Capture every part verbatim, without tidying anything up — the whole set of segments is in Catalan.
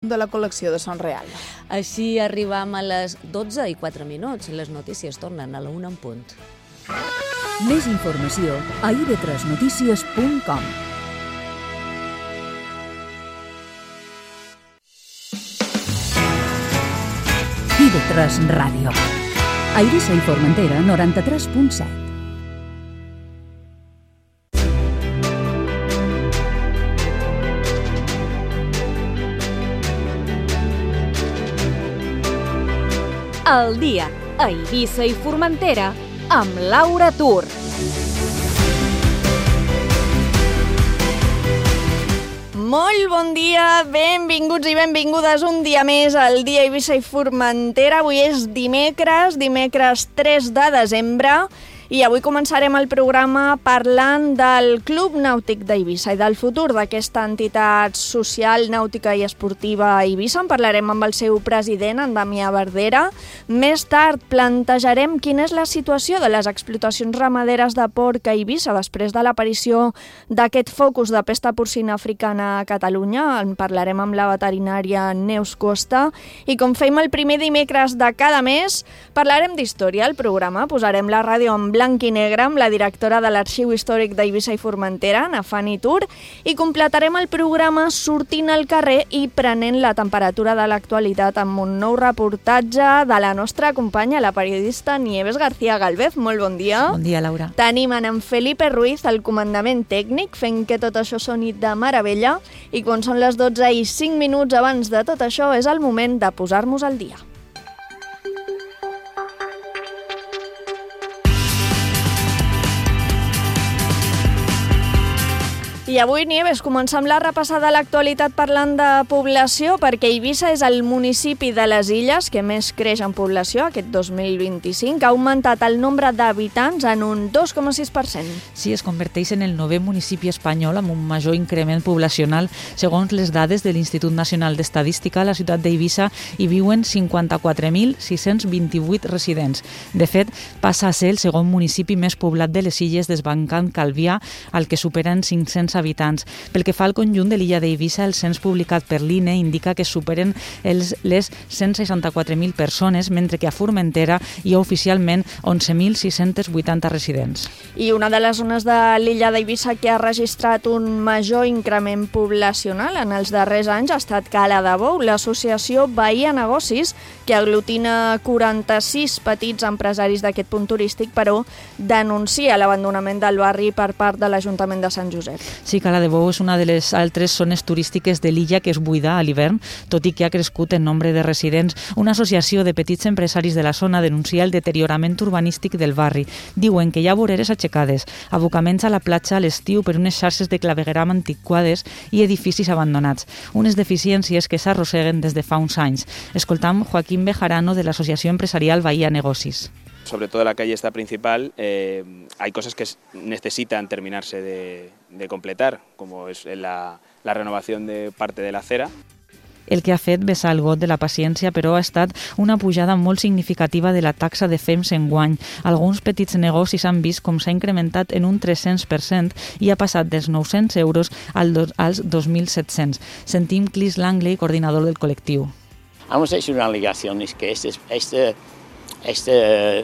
de la col·lecció de Son Real. Així arribam a les dotze i quatre minuts. Les notícies tornen a la una en punt. Més informació a i ve tres notícies punt com. i ve tres Ràdio. A Eivissa i Formentera, noranta-tres punt set. El dia a Eivissa i Formentera amb Laura Tur. Molt bon dia, benvinguts i benvingudes un dia més al dia a Eivissa i Formentera. Avui és dimecres, dimecres tres de desembre, i avui començarem el programa parlant del Club Nàutic d'Eivissa i del futur d'aquesta entitat social, nàutica i esportiva a Eivissa. En parlarem amb el seu president, en Damià Verdera. Més tard plantejarem quina és la situació de les explotacions ramaderes de porc a Eivissa després de l'aparició d'aquest focus de pesta porcina africana a Catalunya. En parlarem amb la veterinària Neus Costa. I com fem el primer dimecres de cada mes, parlarem d'història al programa. Posarem la ràdio en blanc i negre amb la directora de l'Arxiu Històric d'Eivissa i Formentera, na Fanny Tur, i completarem el programa sortint al carrer i prenent la temperatura de l'actualitat amb un nou reportatge de la nostra companya, la periodista Nieves García Galvez. Molt bon dia. Bon dia, Laura. Tenim en Felipe Ruiz, el comandament tècnic, fent que tot això soni de meravella, i quan són les dotze i cinc minuts abans de tot això és el moment de posar-nos al dia. I avui, Nieves, comencem la repassada de l'actualitat parlant de població, perquè Eivissa és el municipi de les Illes que més creix en població aquest dos mil vint-i-cinc. Ha augmentat el nombre d'habitants en un dos coma sis per cent. Sí, es converteix en el novè municipi espanyol amb un major increment poblacional. Segons les dades de l'Institut Nacional d'Estadística, a la ciutat d'Eivissa hi viuen cinquanta-quatre mil sis-cents vint-i-vuit residents. De fet, passa a ser el segon municipi més poblat de les Illes, desbancant Calvià, al que superen cinc-cents habitants. Pel que fa al conjunt de l'illa d'Eivissa, el cens publicat per l'I N E indica que superen els, les cent seixanta-quatre mil persones, mentre que a Formentera hi ha oficialment onze mil sis-cents vuitanta residents. I una de les zones de l'illa d'Eivissa que ha registrat un major increment poblacional en els darrers anys ha estat Cala de Bou, l'associació Bahia Negocis, que aglutina quaranta-sis petits empresaris d'aquest punt turístic, però denuncia l'abandonament del barri per part de l'Ajuntament de Sant Josep. Sí, Cala de Bou és una de les altres zones turístiques de l'illa que es buida a l'hivern, tot i que ha crescut en nombre de residents. Una associació de petits empresaris de la zona denuncia el deteriorament urbanístic del barri. Diuen que hi ha voreres aixecades, abocaments a la platja a l'estiu per unes xarxes de clavegueram antiquades i edificis abandonats. Unes deficiències que s'arrosseguen des de fa uns anys. Escoltam Joaquín Bejarano de l'Associació Empresarial Bahia Negocis. Sobre todo la calle esta principal, eh, hay cosas que necesitan terminarse de, de completar, como es la, la renovación de parte de la acera. El que ha fet vessar el got de la paciència, però, ha estat una pujada molt significativa de la taxa de F E M S enguany. Alguns petits negocis han vist com s'ha incrementat en un tres-cents per cent i ha passat dels nou-cents euros als dos mil set-cents. Sentim Clis Langley, coordinador del col·lectiu. Hemos hecho una alegación, es que este, este Esta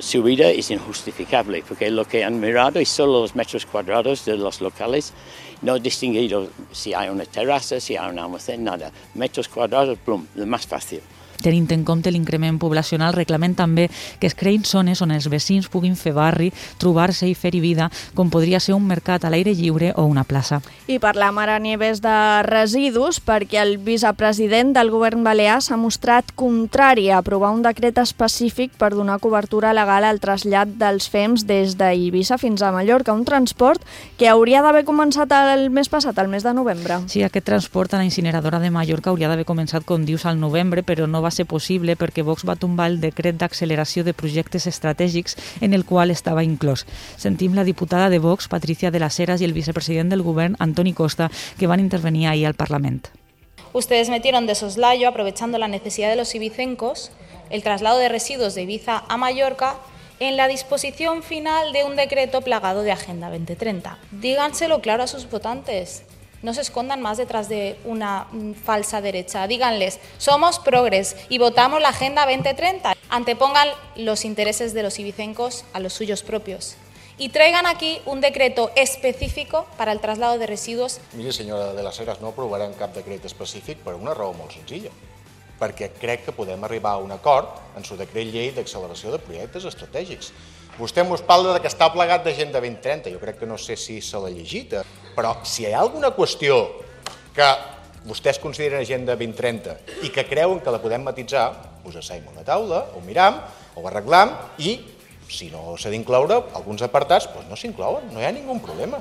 subida es injustificable porque lo que han mirado es solo los metros cuadrados de los locales, no han distinguido si hay una terraza, si hay un almacén, nada. Metros cuadrados, plum, lo más fácil. Tenint en compte l'increment poblacional, reclamen també que es creïn zones on els veïns puguin fer barri, trobar-se i fer-hi vida, com podria ser un mercat a l'aire lliure o una plaça. I parlam ara, Nieves, de residus, perquè el vicepresident del govern balear s'ha mostrat contrari a aprovar un decret específic per donar cobertura legal al trasllat dels F E M S des d'Eivissa fins a Mallorca, un transport que hauria d'haver començat el mes passat, el mes de novembre. Sí, aquest transport a la incineradora de Mallorca hauria d'haver començat, com dius, al novembre, però no va ser possible perquè Vox va tombar el decret d'acceleració de projectes estratègics en el qual estava inclòs. Sentim la diputada de Vox, Patricia de las Heras, i el vicepresident del govern, Antoni Costa, que van intervenir ahir al Parlament. Ustedes metieron de soslayo, aprovechando la necesidad de los ibicencos, el traslado de residuos de Ibiza a Mallorca en la disposición final de un decreto plagado de Agenda veinte treinta. Díganselo claro a sus votantes. no se escondan más detrás de una falsa derecha. Díganles, somos progres y votamos la Agenda veinte treinta. Antepongan los intereses de los ibicencos a los suyos propios. Y traigan aquí un decreto específico para el traslado de residuos. Miri, senyora de les Heres, no aprovarem cap decret específic per una raó molt senzilla. Perquè crec que podem arribar a un acord en su decret llei d'acceleració de projectes estratègics. Vostè ens parla que està plegat d'Agenda vint trenta, jo crec que no sé si se l'ha llegit, però si hi ha alguna qüestió que vostès consideren Agenda vint trenta i que creuen que la podem matitzar, us asseiem a una taula, ho miram, ho arreglam i si no s'ha d'incloure alguns apartats, doncs no s'inclouen, no hi ha ningun problema.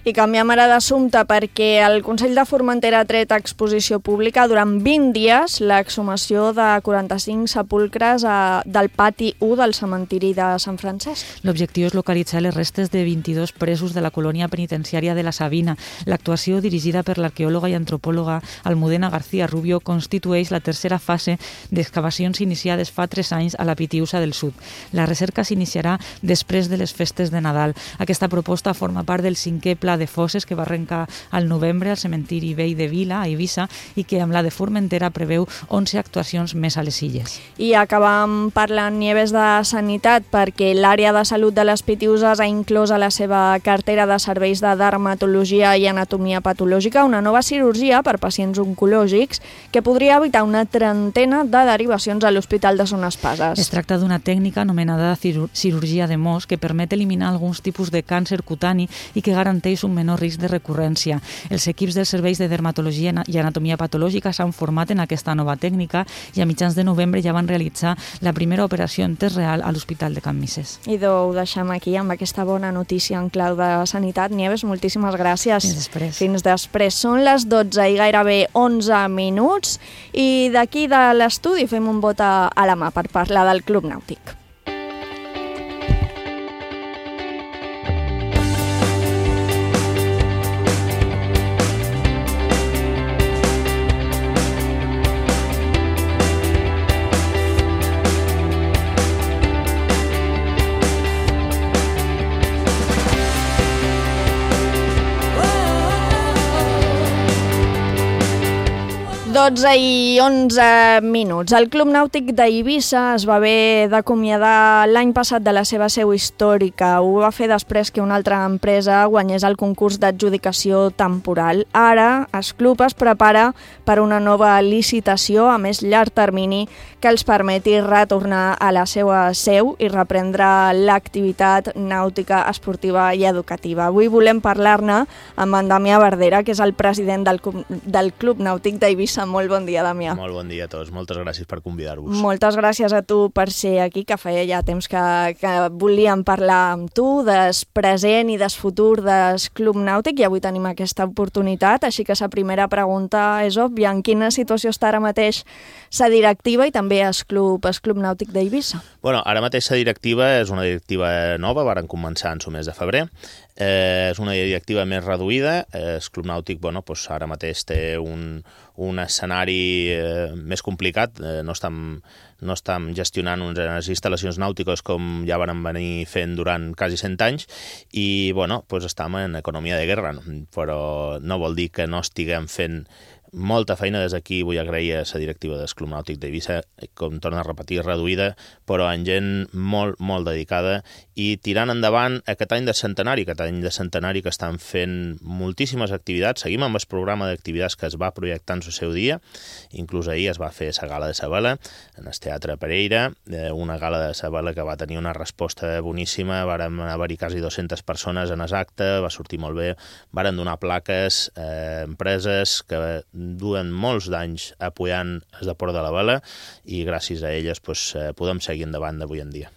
I canviem ara d'assumpte perquè el Consell de Formentera ha tret a exposició pública durant vint dies l'exhumació de quaranta-cinc sepulcres a, del pati u del cementiri de Sant Francesc. L'objectiu és localitzar les restes de vint-i-dos presos de la colònia penitenciària de la Sabina. L'actuació, dirigida per l'arqueòloga i antropòloga Almudena García Rubio, constitueix la tercera fase d'excavacions iniciades fa tres anys a la Pitiusa del Sud. La recerca s'iniciarà després de les festes de Nadal. Aquesta proposta forma part del cinquè pla de fosses que va arrencar al novembre al cementiri vell de Vila, a Eivissa, i que amb la de Formentera preveu onze actuacions més a les illes. I acabam parlant, Nieves, de sanitat, perquè l'àrea de salut de les Pitiuses ha inclòs a la seva cartera de serveis de dermatologia i anatomia patològica una nova cirurgia per pacients oncològics que podria evitar una trentena de derivacions a l'Hospital de Son Espases. Es tracta d'una tècnica anomenada cirurgia de Mohs que permet eliminar alguns tipus de càncer cutani i que garanteix un menor risc de recurrència. Els equips dels serveis de dermatologia i anatomia patològica s'han format en aquesta nova tècnica i a mitjans de novembre ja van realitzar la primera operació en temps real a l'Hospital de Can Misses. I ho deixem aquí amb aquesta bona notícia en clau de sanitat. Nieves, moltíssimes gràcies. Fins després. Fins després. Són les dotze i gairebé onze minuts i d'aquí de l'estudi fem un vot a la mà per parlar del Club Nàutic. dotze i onze minuts. El Club Nàutic d'Eivissa es va haver d'acomiadar l'any passat de la seva seu històrica. Ho va fer després que una altra empresa guanyés el concurs d'adjudicació temporal. Ara, el club es prepara per una nova licitació a més llarg termini que els permeti retornar a la seva seu i reprendre l'activitat nàutica, esportiva i educativa. Avui volem parlar-ne amb en Damià Verdera, que és el president del, del Club Nàutic d'Eivissa. Molt bon dia, Damià. Molt bon dia a tots. Moltes gràcies per convidar-vos. Moltes gràcies a tu per ser aquí, que feia ja temps que, que volíem parlar amb tu del present i del futur del Club Nàutic i avui tenim aquesta oportunitat, així que la primera pregunta és òbvia. En quina situació està ara mateix la directiva i també el Club, el Club Nàutic d'Eivissa? Bueno, ara mateix la directiva és una directiva nova, varen començar en el mes de febrer. Eh, és una directiva més reduïda. Eh, el Club Nàutic, bueno, pues ara mateix té un, un escenari eh, més complicat. Eh, no estem, no estem gestionant unes instal·lacions nàutiques com ja van venir fent durant quasi cent anys i, bueno, pues estem en economia de guerra, però no vol dir que no estiguem fent molta feina. Des d'aquí vull agrair a la directiva del Club Nàutic d'Eivissa, com torna a repetir, reduïda, però en gent molt, molt dedicada i tirant endavant aquest any de centenari, aquest any de centenari que estan fent moltíssimes activitats. Seguim amb el programa d'activitats que es va projectar en el seu dia. Inclús ahir es va fer la gala de la vela en el Teatre Pereira, una gala de la vela que va tenir una resposta boníssima. Vàrem haver-hi quasi dues-centes persones en el acte, va sortir molt bé. Varen donar plaques a eh, empreses que duen molts d'anys apoyant el deport de la vela i gràcies a elles pues, eh, podem seguir endavant d'avui en dia.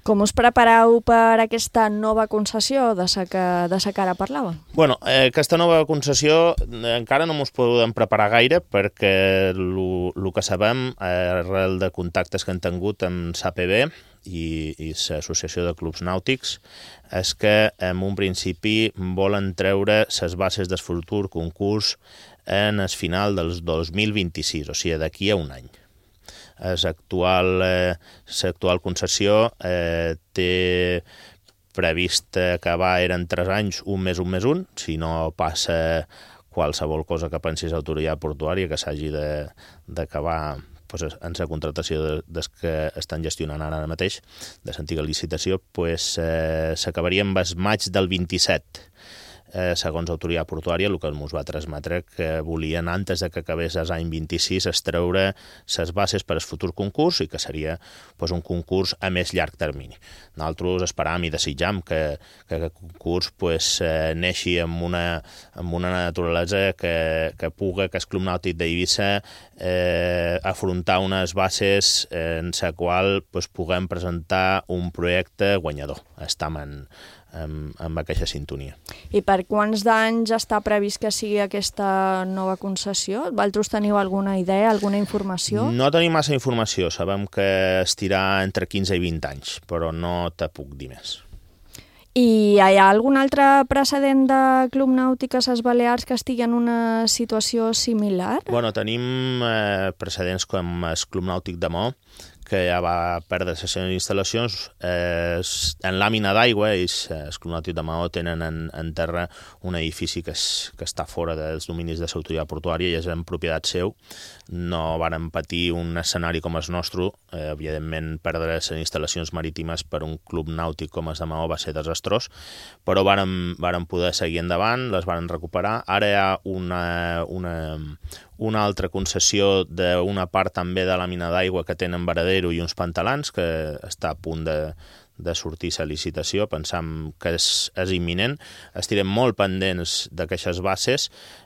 Com us prepareu per aquesta nova concessió de la que, de la que ara parlàvem? Bueno, eh, aquesta nova concessió eh, encara no ens podem preparar gaire perquè el que sabem, eh, arrel de contactes que hem tingut amb l'A P B i, i l'Associació de Clubs Nàutics, és que en un principi volen treure les bases del futur concurs en el final del dos mil vint-i-sis, o sigui, d'aquí a un any. L'actual eh, l'actual concessió eh, té previst acabar, eren tres anys, un més un més un, si no passa qualsevol cosa que pensis autoritat portuària que s'hagi d'acabar pues, en la contractació de, des que estan gestionant ara mateix, de l'antiga licitació, pues, eh, s'acabaria amb el maig del vint-i-set. Eh, segons autoritat portuària, el que ens va transmetre que volien, antes de que acabés l'any vint-i-sis, extreure les bases per al futur concurs i que seria pues, un concurs a més llarg termini. Nosaltres esperam i desitjam que, que aquest concurs pues, eh, neixi amb una, amb una naturalesa que, que puga que el Club Nàutic d'Eivissa eh, afrontar unes bases en la qual pues, puguem presentar un projecte guanyador. Estam en amb, amb aquesta sintonia. I per quants d'anys està previst que sigui aquesta nova concessió? Vosaltres teniu alguna idea, alguna informació? No tenim massa informació, sabem que estirà entre quinze i vint anys, però no te puc dir més. I hi ha algun altre precedent de Club Nàutic a les Balears que estigui en una situació similar? Bueno, tenim eh, precedents com el Club Nàutic de Maó, que ja va perdre les seves instal·lacions. Eh, en làmina d'aigua, ells, el Club Nàutic de Maó, tenen en, en terra un edifici que, és, que està fora dels dominis de l'autoritat portuària i és en propietat seu. No varen patir un escenari com el nostre. Eh, evidentment, perdre les instal·lacions marítimes per un club nàutic com el de Maó va ser desastrós, però varen, varen poder seguir endavant, les varen recuperar. Ara hi ha una, una, una altra concessió d'una part també de la mina d'aigua que tenen Varadero i uns pantalans, que està a punt de, de sortir la licitació. Pensam que és, és imminent. Estirem molt pendents d'aquestes bases.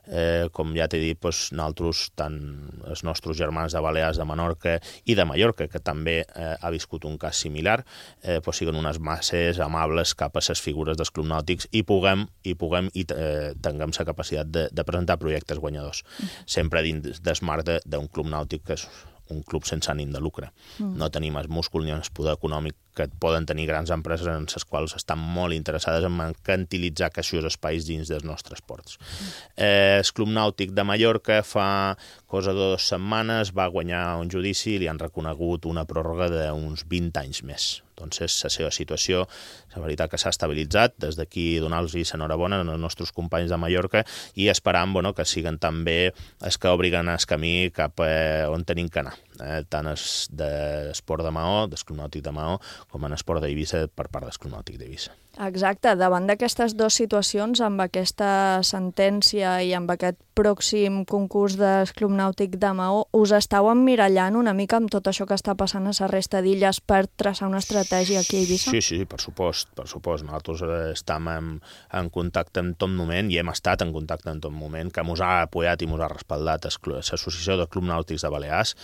Eh, com ja t'he dit, doncs, nosaltres, tant els nostres germans de Balears, de Menorca i de Mallorca, que també eh, ha viscut un cas similar, eh, doncs, siguen unes bases amables cap a les figures dels clubs nàutics i puguem i, puguem, i eh, tinguem la capacitat de, de presentar projectes guanyadors. Mm. Sempre dins del marc d'un club nàutic que és un club sense ànim de lucre. Mm. No tenim el múscul ni el poder econòmic que poden tenir grans empreses en les quals estan molt interessades en mercantilitzar aquests espais dins dels nostres ports. Mm. Eh, el Club Nàutic de Mallorca fa cosa de dues setmanes va guanyar un judici i li han reconegut una pròrroga d'uns vint anys més. Doncs la seva situació, la veritat que s'ha estabilitzat, des d'aquí donar-los enhorabona als nostres companys de Mallorca i esperant bueno, que siguen també els que obriguen el camí cap a on tenim que anar, eh? Tant els d'esport de Maó, del Club Nàutic de Maó, com en esport d'Eivissa per part del Club Nàutic d'Eivissa. Exacte, davant d'aquestes dues situacions, amb aquesta sentència i amb aquest pròxim concurs del Club Nàutic de Maó, us estàu emmirallant una mica amb tot això que està passant a la resta d'illes per traçar una estratègia aquí a Eivissa? Sí, sí, per supost, per supost. Nosaltres estem en, en contacte en tot moment i hem estat en contacte en tot moment, que ens ha apoyat i ens ha respaldat l'Associació de Clubs Nàutics de Balears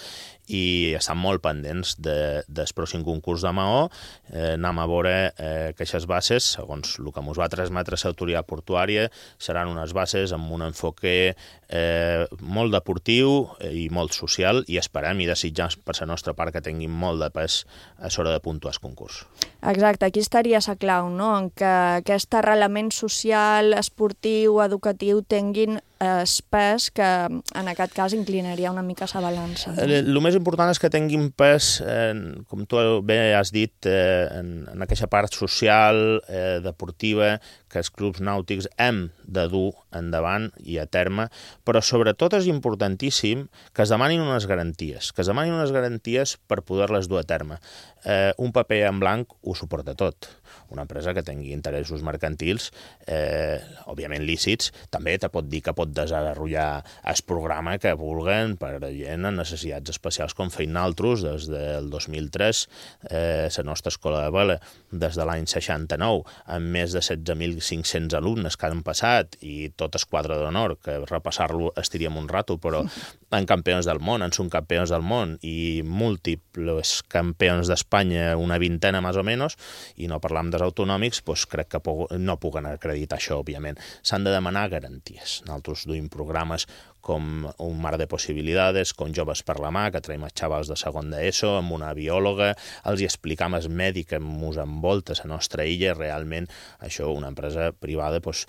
i estan molt pendents de, del pròxim concurs de Maó. Eh, anem a veure eh, aquestes bases, segons el que ens va transmetre l'autoritat portuària, seran unes bases amb un enfoque eh, molt deportiu i molt social i esperem i desitjam per la nostra part que tinguin molt de pes a l'hora de puntuar el concurs. Exacte, aquí estaria la clau, no? En que aquest arrelament social, esportiu, educatiu tinguin el pes que en aquest cas inclinaria una mica la balança. No? El, el més important és que tinguin pes, eh, com tu bé has dit, eh, en, en aquesta part social, eh, deportiva, que els clubs nàutics hem de dur endavant i a terme, però sobretot és importantíssim que es demanin unes garanties, que es demanin unes garanties per poder-les dur a terme. Eh, un paper en blanc ho suporta tot. Una empresa que tingui interessos mercantils, eh, òbviament lícits, també te pot dir que pot desenvolupar el programa que vulguen per a gent amb necessitats especials com feim nosaltres des del dos mil tres, eh, la nostra escola de vela des de l'any seixanta-nou, amb més de setze mil cinc-cents alumnes que han passat i tot el quadre d'honor, que repassar-lo estiríem un rato, però en campions del món, en subcampions del món i múltiples campions d'Espanya, una vintena més o menys, i no parlam dels autonòmics, doncs crec que no puguen acreditar això, òbviament. S'han de demanar garanties. Nosaltres duim programes com un mar de possibilitats, com Joves per la mà, que traiem els xavals de segon d'ESO, amb una biòloga, els hi explicam el medi que ens envolta a la nostra illa, realment això una empresa privada doncs,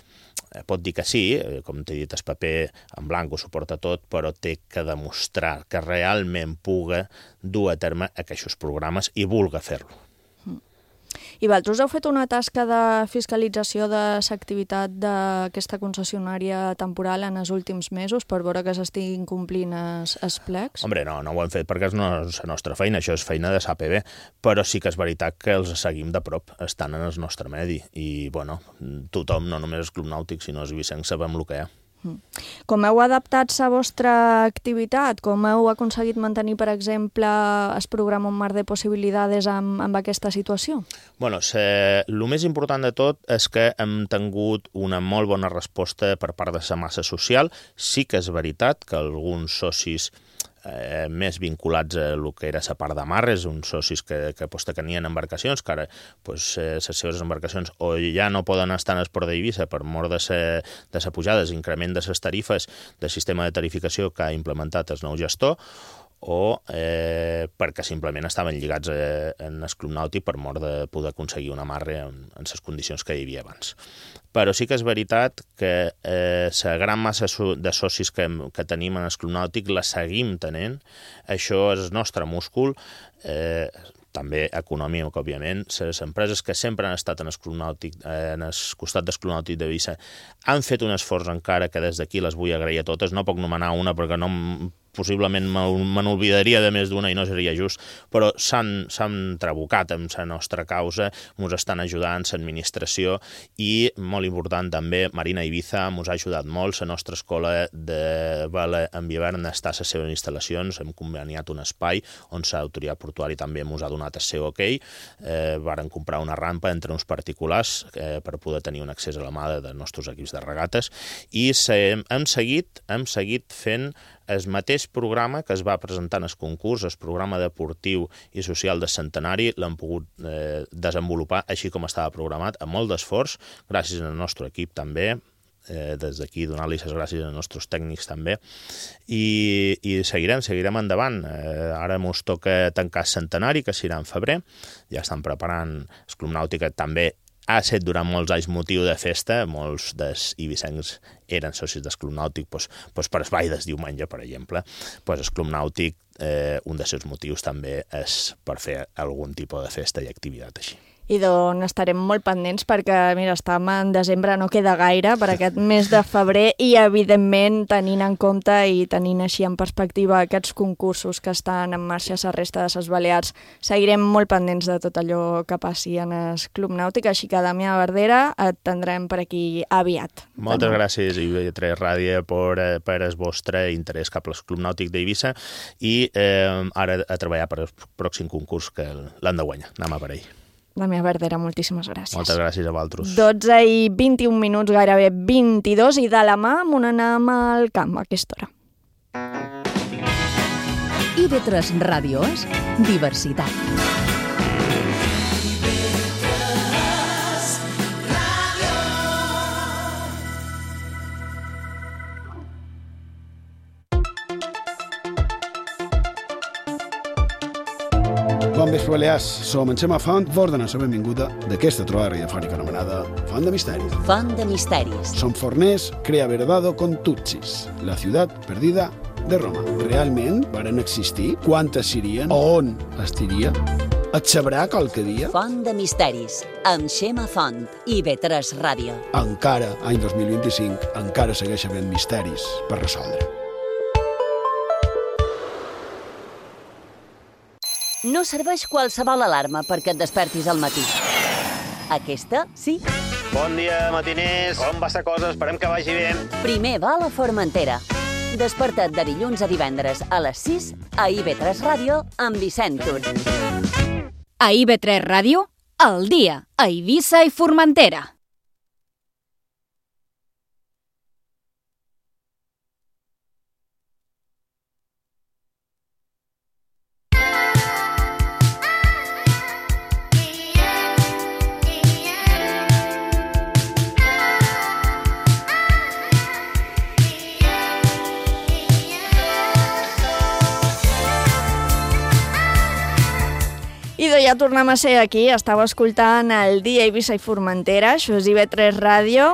pot dir que sí, com t'he dit, el paper en blanc ho suporta tot, però té que demostrar que realment puga dur a terme aquests programes i vulga fer-lo. I vosaltres heu fet una tasca de fiscalització de l'activitat d'aquesta concessionària temporal en els últims mesos per veure que s'estiguin complint els, els plecs? Hombre, no, no ho hem fet perquè és no és la nostra feina, això és feina de l'A P B, però sí que és veritat que els seguim de prop, estan en el nostre medi i, bueno, tothom, no només el Club Nàutic, sinó els ibicencs, sabem el que hi ha. Com heu adaptat la vostra activitat? Com heu aconseguit mantenir, per exemple, el programa Un mar de possibilitats amb, amb aquesta situació? Bueno, el més important de tot és que hem tingut una molt bona resposta per part de la massa social. Sí que és veritat que alguns socis Eh, més vinculats a el que era la part de mar, és uns socis que, que pues, tenien embarcacions, que ara pues, eh, les seves embarcacions o ja no poden estar en el port d'Eivissa per mort de la pujada, l'increment de les tarifes del sistema de tarificació que ha implementat el nou gestor, o eh, perquè simplement estaven lligats eh, en el Club Nàutic per mort de poder aconseguir un amarre en, en les condicions que hi havia abans. Però sí que és veritat que eh, la gran massa de socis que, que tenim en el Club Nàutic la seguim tenint. Això és el nostre múscul, eh, també econòmic, òbviament. Les empreses que sempre han estat en el Club Nàutic, eh, en el costat del Club Nàutic d'Eivissa, han fet un esforç encara que des d'aquí les vull agrair a totes. No puc nomenar una perquè no possiblement me n'olvidaria de més d'una i no seria just, però s'han trabucat amb la nostra causa, ens estan ajudant l'administració i, molt important també, Marina Ibiza ens ha ajudat molt, la nostra escola de vela en hivern està a les seves instal·lacions, hem conveniat un espai on l'autoritat portuària també ens ha donat el seu ok, eh, varen comprar una rampa entre uns particulars eh, per poder tenir un accés a la mà dels nostres equips de regates i hem, hem, seguit, hem seguit fent el mateix programa que es va presentar en el concurs, el programa deportiu i social del centenari, l'hem pogut eh, desenvolupar així com estava programat, amb molt d'esforç, gràcies al nostre equip també, eh, des d'aquí donar-li les gràcies als nostres tècnics també, i, i seguirem, seguirem endavant. Eh, ara ens toca tancar el centenari, que serà en febrer, ja estan preparant el Club Nàutic, també ha estat durant molts anys motiu de festa, molts dels ibicencs eren socis del Club Nàutic doncs, doncs per el ball del diumenge, per exemple. Doncs el Club Nàutic, eh, un dels seus motius també és per fer algun tipus de festa i activitat així. I d'on estarem molt pendents perquè, mira, estem en desembre, no queda gaire per aquest mes de febrer i, evidentment, tenint en compte i tenint així en perspectiva aquests concursos que estan en marxa a la resta de les Balears, seguirem molt pendents de tot allò que passi en el Club Nàutic, així que, Damià Verdera, et tindrem per aquí aviat. Moltes gràcies, I B tres Ràdio, per, per el vostre interès cap al Club Nàutic d'Eivissa i eh, ara a treballar per el pròxim concurs que l'han de guanyar. Anem a per ell. Damià Verdera, moltíssimes gràcies. Moltes gràcies a vosaltres. dotze i vint-i-un minuts, gairebé vint-i-dos, i de la mà on anem al camp a aquesta hora. I B tres Ràdio és diversitat. Bon vespre, Balears. Som en Xema Font, vos donem la benvinguda d'aquesta trobada radiofònica anomenada Font de Misteris. Font de Misteris. Som forners, crea verdado con Tutsis, la ciutat perdida de Roma. Realment varen existir? Quantes serien? On estiria? Et sabrà qualque dia? Font de Misteris, amb Xema Font, I B tres Ràdio. Encara, any dos mil vint-i-cinc, encara segueix havent misteris per resoldre. No serveix qualsevol alarma perquè et despertis al matí. Aquesta, sí. Bon dia, matiners. Com va la cosa? Esperem que vagi bé. Primer va a la Formentera. Desperta't de dilluns a divendres a les sis a I B tres Ràdio amb Vicent Tur. A I B tres Ràdio, al dia, a Eivissa i Formentera. Idò, ja tornem a ser aquí, estava escoltant el dia Eivissa i Formentera, això és I B tres Ràdio,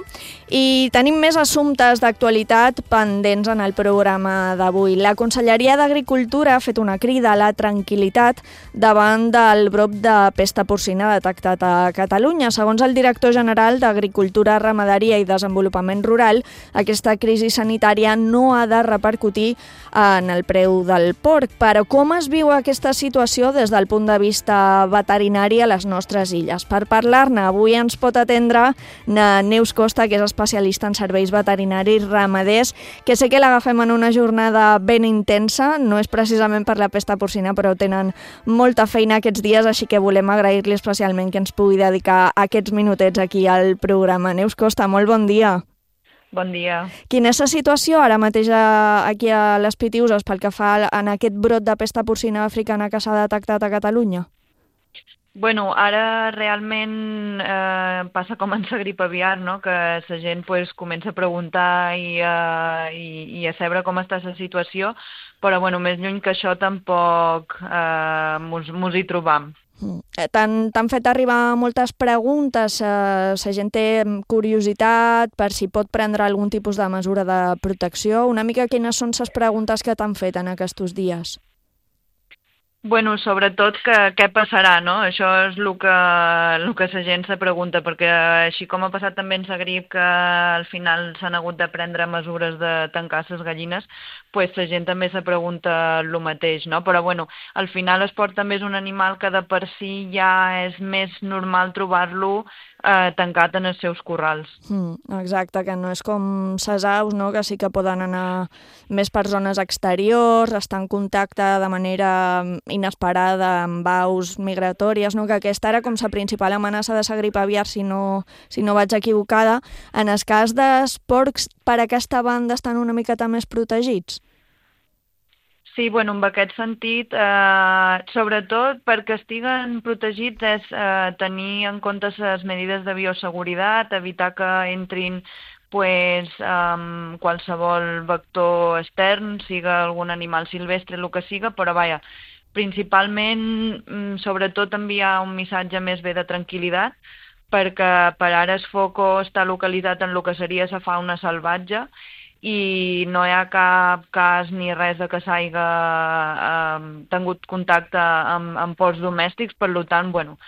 I tenim més assumptes d'actualitat pendents en el programa d'avui. La Conselleria d'Agricultura ha fet una crida a la tranquil·litat davant del brot de pesta porcina detectat a Catalunya. Segons el director general d'Agricultura, Ramaderia i Desenvolupament Rural, aquesta crisi sanitària no ha de repercutir en el preu del porc. Però com es viu aquesta situació des del punt de vista veterinari a les nostres illes? Per parlar-ne, avui ens pot atendre Neus Costa, que és especialista en serveis veterinaris ramaders, que sé que l'agafem en una jornada ben intensa, no és precisament per la pesta porcina, però tenen molta feina aquests dies, així que volem agrair-li especialment que ens pugui dedicar aquests minutets aquí al programa. Neus Costa, molt bon dia. Bon dia. Quina és la situació ara mateix aquí a les Pitiüses pel que fa en aquest brot de pesta porcina africana que s'ha detectat a Catalunya? Bueno, ara realment eh, passa com en la grip aviar, no? Que la gent pues, comença a preguntar i, uh, i, i a saber com està la situació, però bueno, més lluny que això tampoc eh, mos, mos hi trobam. T'han fet arribar moltes preguntes, eh, la gent té curiositat per si pot prendre algun tipus de mesura de protecció. Una mica quines són les preguntes que t'han fet en aquests dies? Bueno, sobretot que què passarà, no? Això és el que, el que la gent se pregunta, perquè així com ha passat també en la grip, que al final s'han hagut de prendre mesures de tancar les gallines, pues la gent també se pregunta el mateix, no? Però bueno, al final el porc també és un animal que de per si ja és més normal trobar-lo eh, tancat en els seus corrals. Mm, exacte, que no és com les aus, no? Que sí que poden anar més per zones exteriors, estar en contacte de manera inesperada amb aus migratòries, no? Que aquesta era com la principal amenaça de la grip aviar, si no, si no vaig equivocada. En el cas dels porcs, per aquesta banda estan una miqueta més protegits? Sí, bueno, en aquest sentit, eh, sobretot perquè estiguen protegits és eh, tenir en compte les medides de bioseguretat, evitar que entrin pues, um, qualsevol vector extern, siga algun animal silvestre, el que siga, però vaja, principalment, sobretot enviar un missatge més bé de tranquil·litat, perquè per ara el foco està localitzat en el que seria la fauna salvatge i no hi ha cap cas ni res de que s'hagi eh, tingut contacte amb, amb porcs domèstics, per tant, bueno,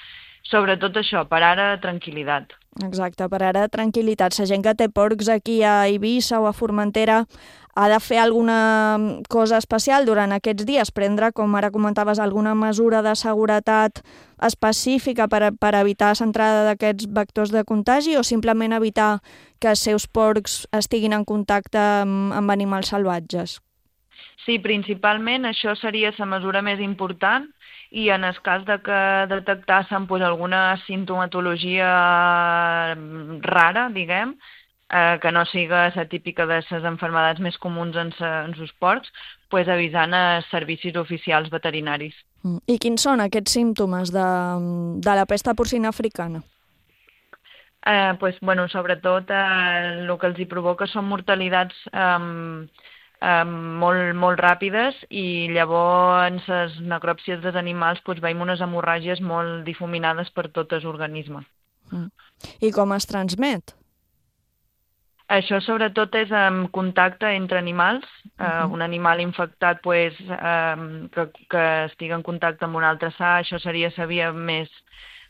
sobretot això, per ara, tranquil·litat. Exacte, per ara, tranquil·litat. La gent que té porcs aquí a Eivissa o a Formentera ha de fer alguna cosa especial durant aquests dies, prendre, com ara comentaves, alguna mesura de seguretat específica per, per evitar l'entrada d'aquests vectors de contagi o simplement evitar que els seus porcs estiguin en contacte amb, amb animals salvatges? Sí, principalment això seria la mesura més important i en el cas de que detectassen pues, alguna sintomatologia rara, diguem, eh, que no siga la típica de les malalties més comuns en, sa, en els porcs, pues, avisant els servicis oficials veterinaris. I quins són aquests símptomes de, de la pesta porcina africana? Eh, pues, bueno, sobretot eh, el que els hi provoca són mortalitats eh, eh, molt, molt ràpides i llavors en les necròpsies dels animals pues, veiem unes hemorràgies molt difuminades per tot l'organisme. Mm. I com es transmet? Això sobretot és en contacte entre animals. Uh -huh. uh, un animal infectat pues, uh, que, que estigui en contacte amb un altre sa, això seria la via més,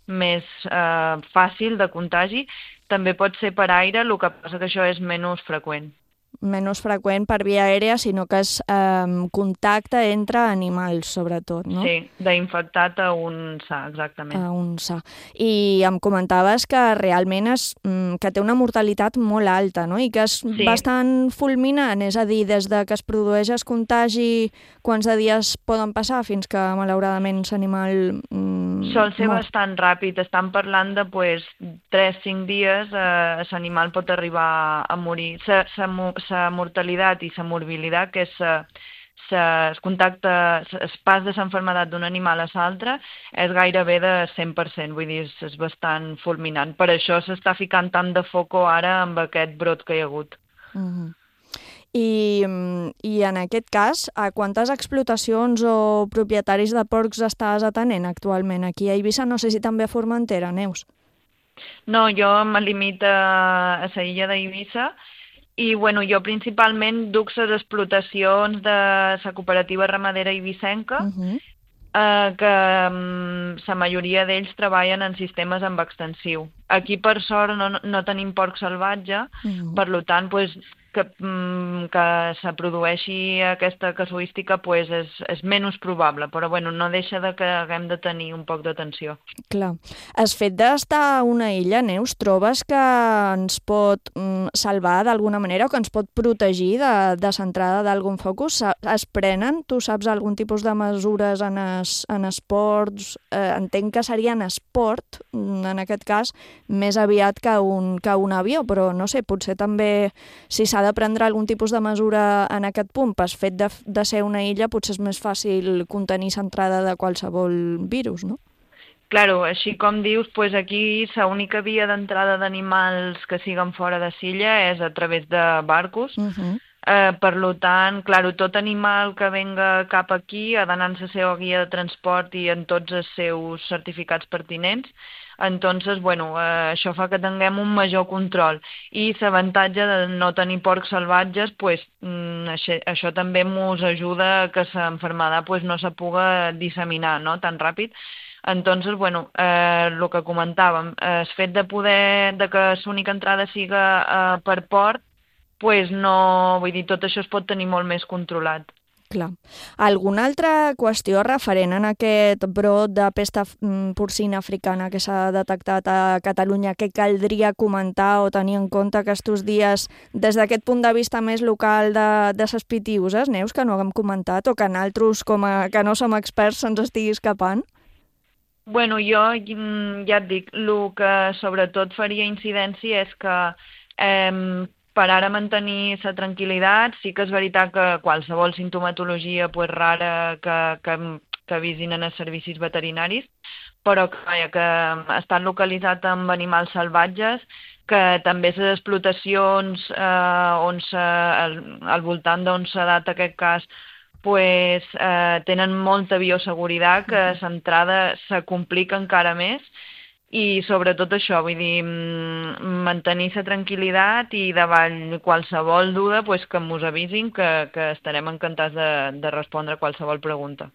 més uh, fàcil de contagi. També pot ser per aire, el que passa que això és menys freqüent. Menys freqüent per via aèria, sinó que és eh, contacte entre animals, sobretot, no? Sí, d'infectat a un sa, exactament. A un sa. I em comentaves que realment és, que té una mortalitat molt alta, no? I que és sí. bastant fulminant, és a dir, des de que es produeix el contagi, quants de dies poden passar fins que, malauradament, l'animal mm, Sol ser mor? bastant ràpid. Estan parlant de pues, tres a cinc dies eh, l'animal pot arribar a morir. Sa, sa, la mortalitat i la morbilitat, que és el contacte, el pas de l'enfermedat d'un animal a l'altre, és gairebé de cent per cent, vull dir, és bastant fulminant. Per això s'està ficant tant de foco ara amb aquest brot que hi ha hagut. Uh-huh. I, I en aquest cas, a quantes explotacions o propietaris de porcs estàs atenent actualment? Aquí a Eivissa, no sé si també a Formentera, Neus. No, jo me limito a la illa d'Eivissa i bueno, jo principalment duc les explotacions de la cooperativa ramadera eivissenca, uh-huh. eh, que la majoria d'ells treballen en sistemes amb extensiu. Aquí, per sort, no, no tenim porc salvatge, uh-huh. per tant, pues, que, que se produeixi aquesta casuística pues, és, és menys probable, però bueno, no deixa de que haguem de tenir un poc d'atenció. Clar. El fet d'estar a una illa, Neus, trobes que ens pot mm, salvar d'alguna manera o que ens pot protegir de, de l'entrada d'algun focus? Es prenen, tu saps, algun tipus de mesures en, es, en esports? Eh, entenc que seria en esport, en aquest cas, més aviat que un, que un avió, però no sé, potser també si s'ha de prendre algun tipus de mesura en aquest punt, pel fet de, de ser una illa, potser és més fàcil contenir l'entrada de qualsevol virus, no? Claro, així com dius, pues aquí l'única via d'entrada d'animals que siguen fora de l'illa és a través de barcos. Uh-huh. Eh, per tant, claro, tot animal que venga cap aquí ha d'anar en la seva guia de transport i en tots els seus certificats pertinents. Entonces, bueno, eh, això fa que tinguem un major control. I l'avantatge de no tenir porcs salvatges, pues, mm, això, això també ens ajuda a que l'enfermedad pues, no se puga disseminar, no?, tan ràpid. Entonces, bueno, eh, el que comentàvem, eh, el fet de poder, de que l'única entrada siga eh, per port, pues no, vull dir, tot això es pot tenir molt més controlat. Clar. Alguna altra qüestió referent a aquest brot de pesta porcina africana que s'ha detectat a Catalunya que caldria comentar o tenir en compte aquests dies des d'aquest punt de vista més local de, de ses pitiuses, Neus, que no haguem comentat o que nosaltres, com a, que no som experts, se'ns estigui escapant? Bueno, jo ja et dic, el que sobretot faria incidència és que eh, per ara mantenir la tranquil·litat, sí que és veritat que qualsevol sintomatologia pues, rara que, que, que avisin en els servicis veterinaris, però que, que ha estat localitzat amb animals salvatges, que també les explotacions eh, on se, al, al voltant d'on s'ha dat aquest cas pues, eh, tenen molta bioseguretat, que l'entrada se complica encara més. I sobretot això, vull dir, mantenir la tranquil·litat i davant qualsevol duda pues, que ens avisin que, que estarem encantats de, de respondre a qualsevol pregunta.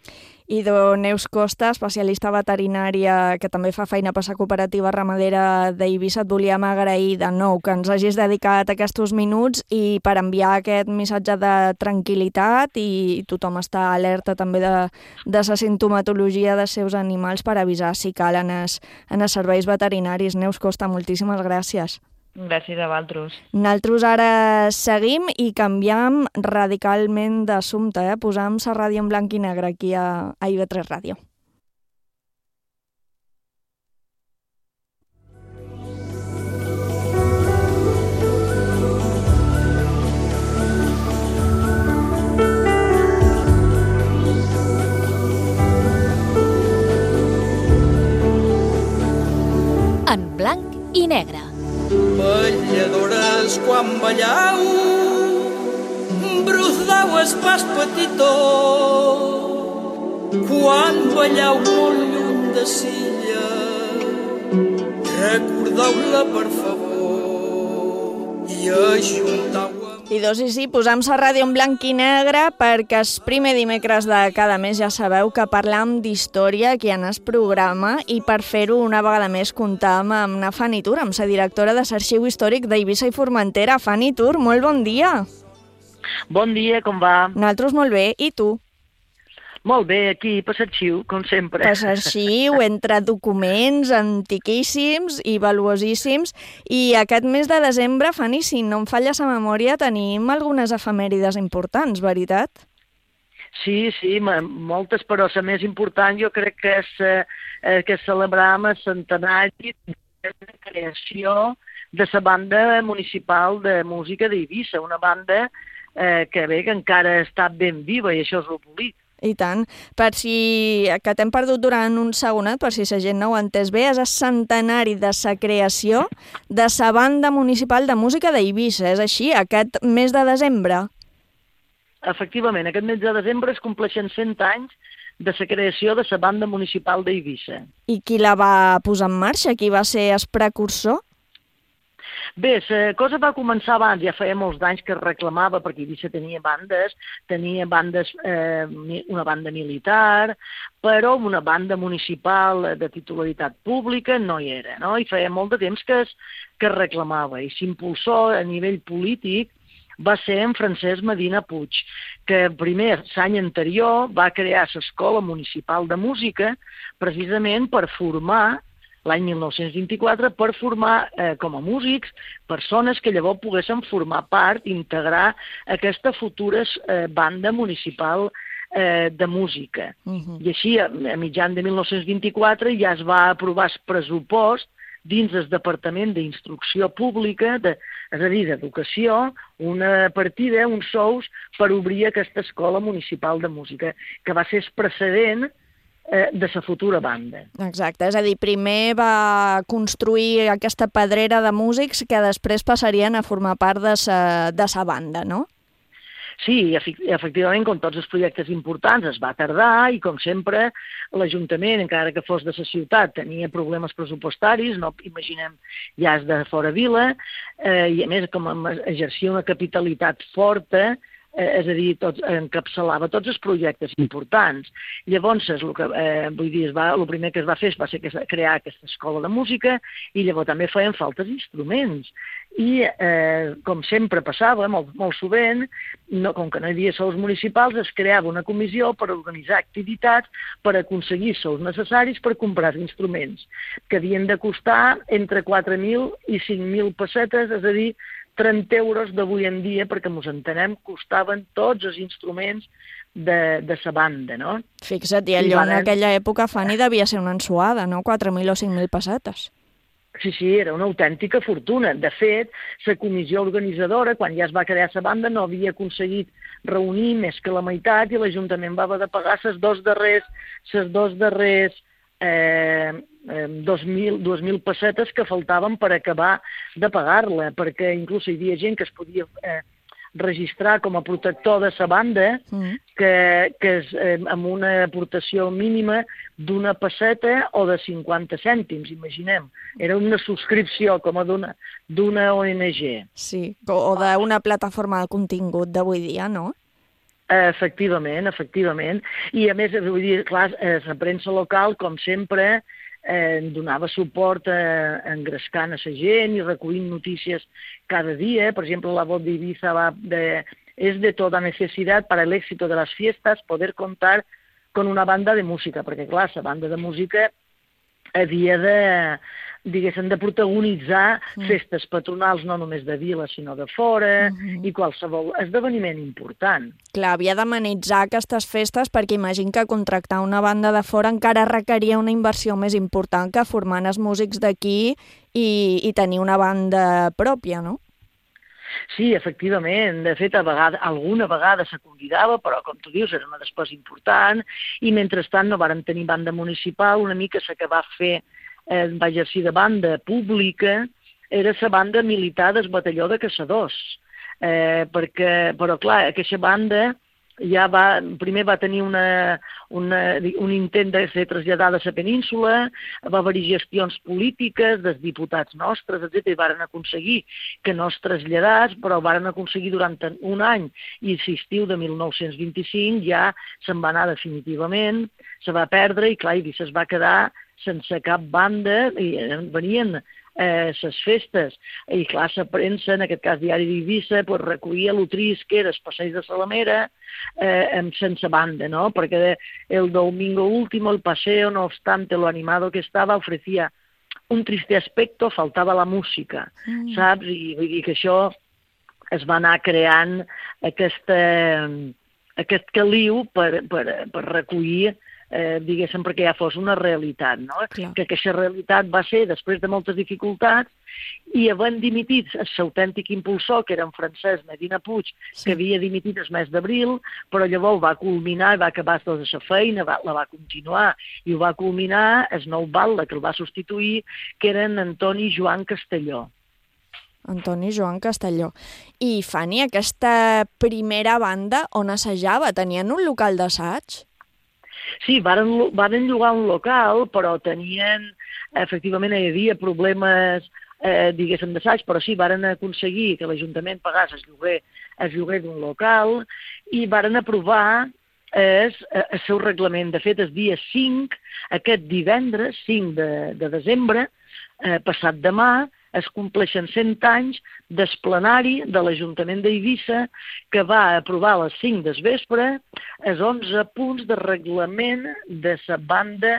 I de Neus Costa, especialista veterinària que també fa feina per la cooperativa ramadera d'Eivissa, et volíem agrair de nou que ens hagis dedicat aquests minuts i per enviar aquest missatge de tranquil·litat i tothom està alerta també de, de la sintomatologia dels seus animals per avisar si cal en els, en els serveis veterinaris. Neus Costa, moltíssimes gràcies. Gràcies a vosaltres. Nosaltres ara seguim i canviem radicalment d'assumpte, eh? Posam la ràdio en blanc i negre aquí a, a I V tres Ràdio. En blanc i negre. Balladores quan ballau, brudau es pas petitó, quan ballau molt lluny de Silla, recordeu-la per favor i ajuntau. I dos i sí, posam la ràdio en blanc i negre perquè el primer dimecres de cada mes ja sabeu que parlam d'història aquí en el programa i per fer-ho una vegada més comptam amb na Fanny Tur, amb la directora de l'Arxiu Històric d'Eivissa i Formentera. Fanny Tur, molt bon dia. Bon dia, com va? Nosaltres molt bé, i tu? Molt bé, aquí, per l'arxiu, com sempre. Per l'arxiu, entre documents antiquíssims i valuosíssims. I aquest mes de desembre, Fanny, si no em falla la memòria, tenim algunes efemèrides importants, veritat? Sí, sí, moltes, però la més important jo crec que és eh, que celebram el centenari de la creació de la banda municipal de música d'Eivissa, una banda eh, que bé, que encara està ben viva i això és el bonic. I tant. Per si, que t'hem perdut durant un segonet, per si la gent no ho ha entès bé, és el centenari de la creació de la banda municipal de música d'Eivissa. És així, aquest mes de desembre? Efectivament, aquest mes de desembre es compleixen cent anys de la creació de la banda municipal d'Eivissa. I qui la va posar en marxa? Qui va ser el precursor? Bé, la cosa va començar abans, ja feia molts anys que es reclamava, perquè Eivissa tenia bandes, tenia bandes, eh, una banda militar, però una banda municipal de titularitat pública no hi era, no? I feia molt de temps que es, que es reclamava, i s'impulsó a nivell polític va ser en Francesc Medina Puig, que primer, l'any anterior, va crear l'Escola Municipal de Música precisament per formar, l'any mil nou-cents vint-i-quatre, per formar eh, com a músics persones que llavors poguessin formar part, integrar aquesta futura eh, banda municipal eh, de música. Uh-huh. I així, a, a mitjan de mil nou-cents vint-i-quatre, ja es va aprovar el pressupost dins el Departament d'Instrucció Pública, de, és a dir, d'Educació, una partida, uns sous, per obrir aquesta escola municipal de música, que va ser el precedent eh, de la futura banda. Exacte, és a dir, primer va construir aquesta pedrera de músics que després passarien a formar part de sa, de sa banda, no? Sí, efectivament, com tots els projectes importants, es va tardar i, com sempre, l'Ajuntament, encara que fos de la ciutat, tenia problemes pressupostaris, no imaginem ja és de fora vila, eh, i a més, com exercia una capitalitat forta, eh, és a dir, tots, encapçalava tots els projectes importants. Llavors, el que, eh, vull dir, es va, el primer que es va fer va ser crear aquesta escola de música i llavors també feien faltes instruments. I, eh, com sempre passava, molt, molt sovint, no, com que no hi havia sous municipals, es creava una comissió per organitzar activitats per aconseguir sous necessaris per comprar instruments, que havien de costar entre quatre mil i cinc mil pessetes, és a dir, trenta euros d'avui en dia, perquè ens entenem, costaven tots els instruments de, de sa banda, no? Fixa't, i allò en aquella època, Fanny, devia ser una ensuada, no? quatre mil o cinc mil pessetes. Sí, sí, era una autèntica fortuna. De fet, la comissió organitzadora, quan ja es va crear la banda, no havia aconseguit reunir més que la meitat i l'Ajuntament va haver de pagar les dos darrers, les dos darrers eh, dos mil, dues mil pessetes que faltaven per acabar de pagar-la, perquè inclús hi havia gent que es podia eh, registrar com a protector de sa banda, mm. que, que és eh, amb una aportació mínima d'una pesseta o de cinquanta cèntims, imaginem. Era una subscripció com a d'una O N G. Sí, o d'una plataforma de contingut d'avui dia, no? Efectivament, efectivament. I a més, vull dir, clar, la premsa local, com sempre, eh, donava suport a, a engrescant a la gent i recollint notícies cada dia. Per exemple, la voz de Ibiza va de, és de tota necessitat para el éxito de las fiestas poder contar con una banda de música, perquè clar, la banda de música havia de, diguéssim, de protagonitzar mm. festes patronals no només de vila, sinó de fora, mm-hmm. i qualsevol esdeveniment important. Clar, havia d'amenitzar aquestes festes perquè imagino que contractar una banda de fora encara requeria una inversió més important que formant els músics d'aquí i, i tenir una banda pròpia, no? Sí, efectivament. De fet, a vegada, alguna vegada se convidava, però, com tu dius, era una despesa important, i mentrestant no vàrem tenir banda municipal. Una mica la que va fer, eh, va exercir de banda pública, era la banda militar del batalló de caçadors. Eh, perquè, però, clar, aquesta banda ja va, primer va tenir una, una, un intent de ser traslladada a la península, va haver-hi gestions polítiques dels diputats nostres, etcètera, i varen aconseguir que no es traslladés, però varen aconseguir durant un any, i l'estiu de mil nou-cents vint-i-cinc ja se'n va anar definitivament, se va perdre, i clar, Eivissa es va quedar sense cap banda, i venien eh, ses festes, i clar, la premsa, en aquest cas Diari d'Eivissa, pues, recollia lo trist que era el passeig de Salamera eh, sense banda, ¿no? Perquè el domingo último, el paseo, no obstante lo animado que estaba, ofrecía un triste aspecto, faltava la música, mm. saps? I vull dir que això es va anar creant aquesta, aquest caliu per, per, per recollir Eh, diguéssim, perquè ja fos una realitat, no? Clar. Que aquesta realitat va ser, després de moltes dificultats, i havent dimitit l'autèntic impulsor, que era en Francesc Medina Puig, sí. que havia dimitit el mes d'abril, però llavors va culminar, va acabar tota la feina, va, la va continuar, i ho va culminar el nou batlle que el va substituir, que eren Antoni Joan Castelló. Antoni Joan Castelló. I, Fanny, aquesta primera banda on assajava? Tenien un local d'assaig? Sí, varen, varen llogar un local, però tenien, efectivament, hi havia problemes, eh, diguéssim, d'assaig, però sí, varen aconseguir que l'Ajuntament pagàs el lloguer, el lloguer d'un local i varen aprovar el, el seu reglament. De fet, el dia cinc, aquest divendres, cinc de, de desembre, eh, passat demà, es compleixen cent anys del plenari de l'Ajuntament d'Eivissa que va aprovar a les cinc del vespre els onze punts de reglament de la banda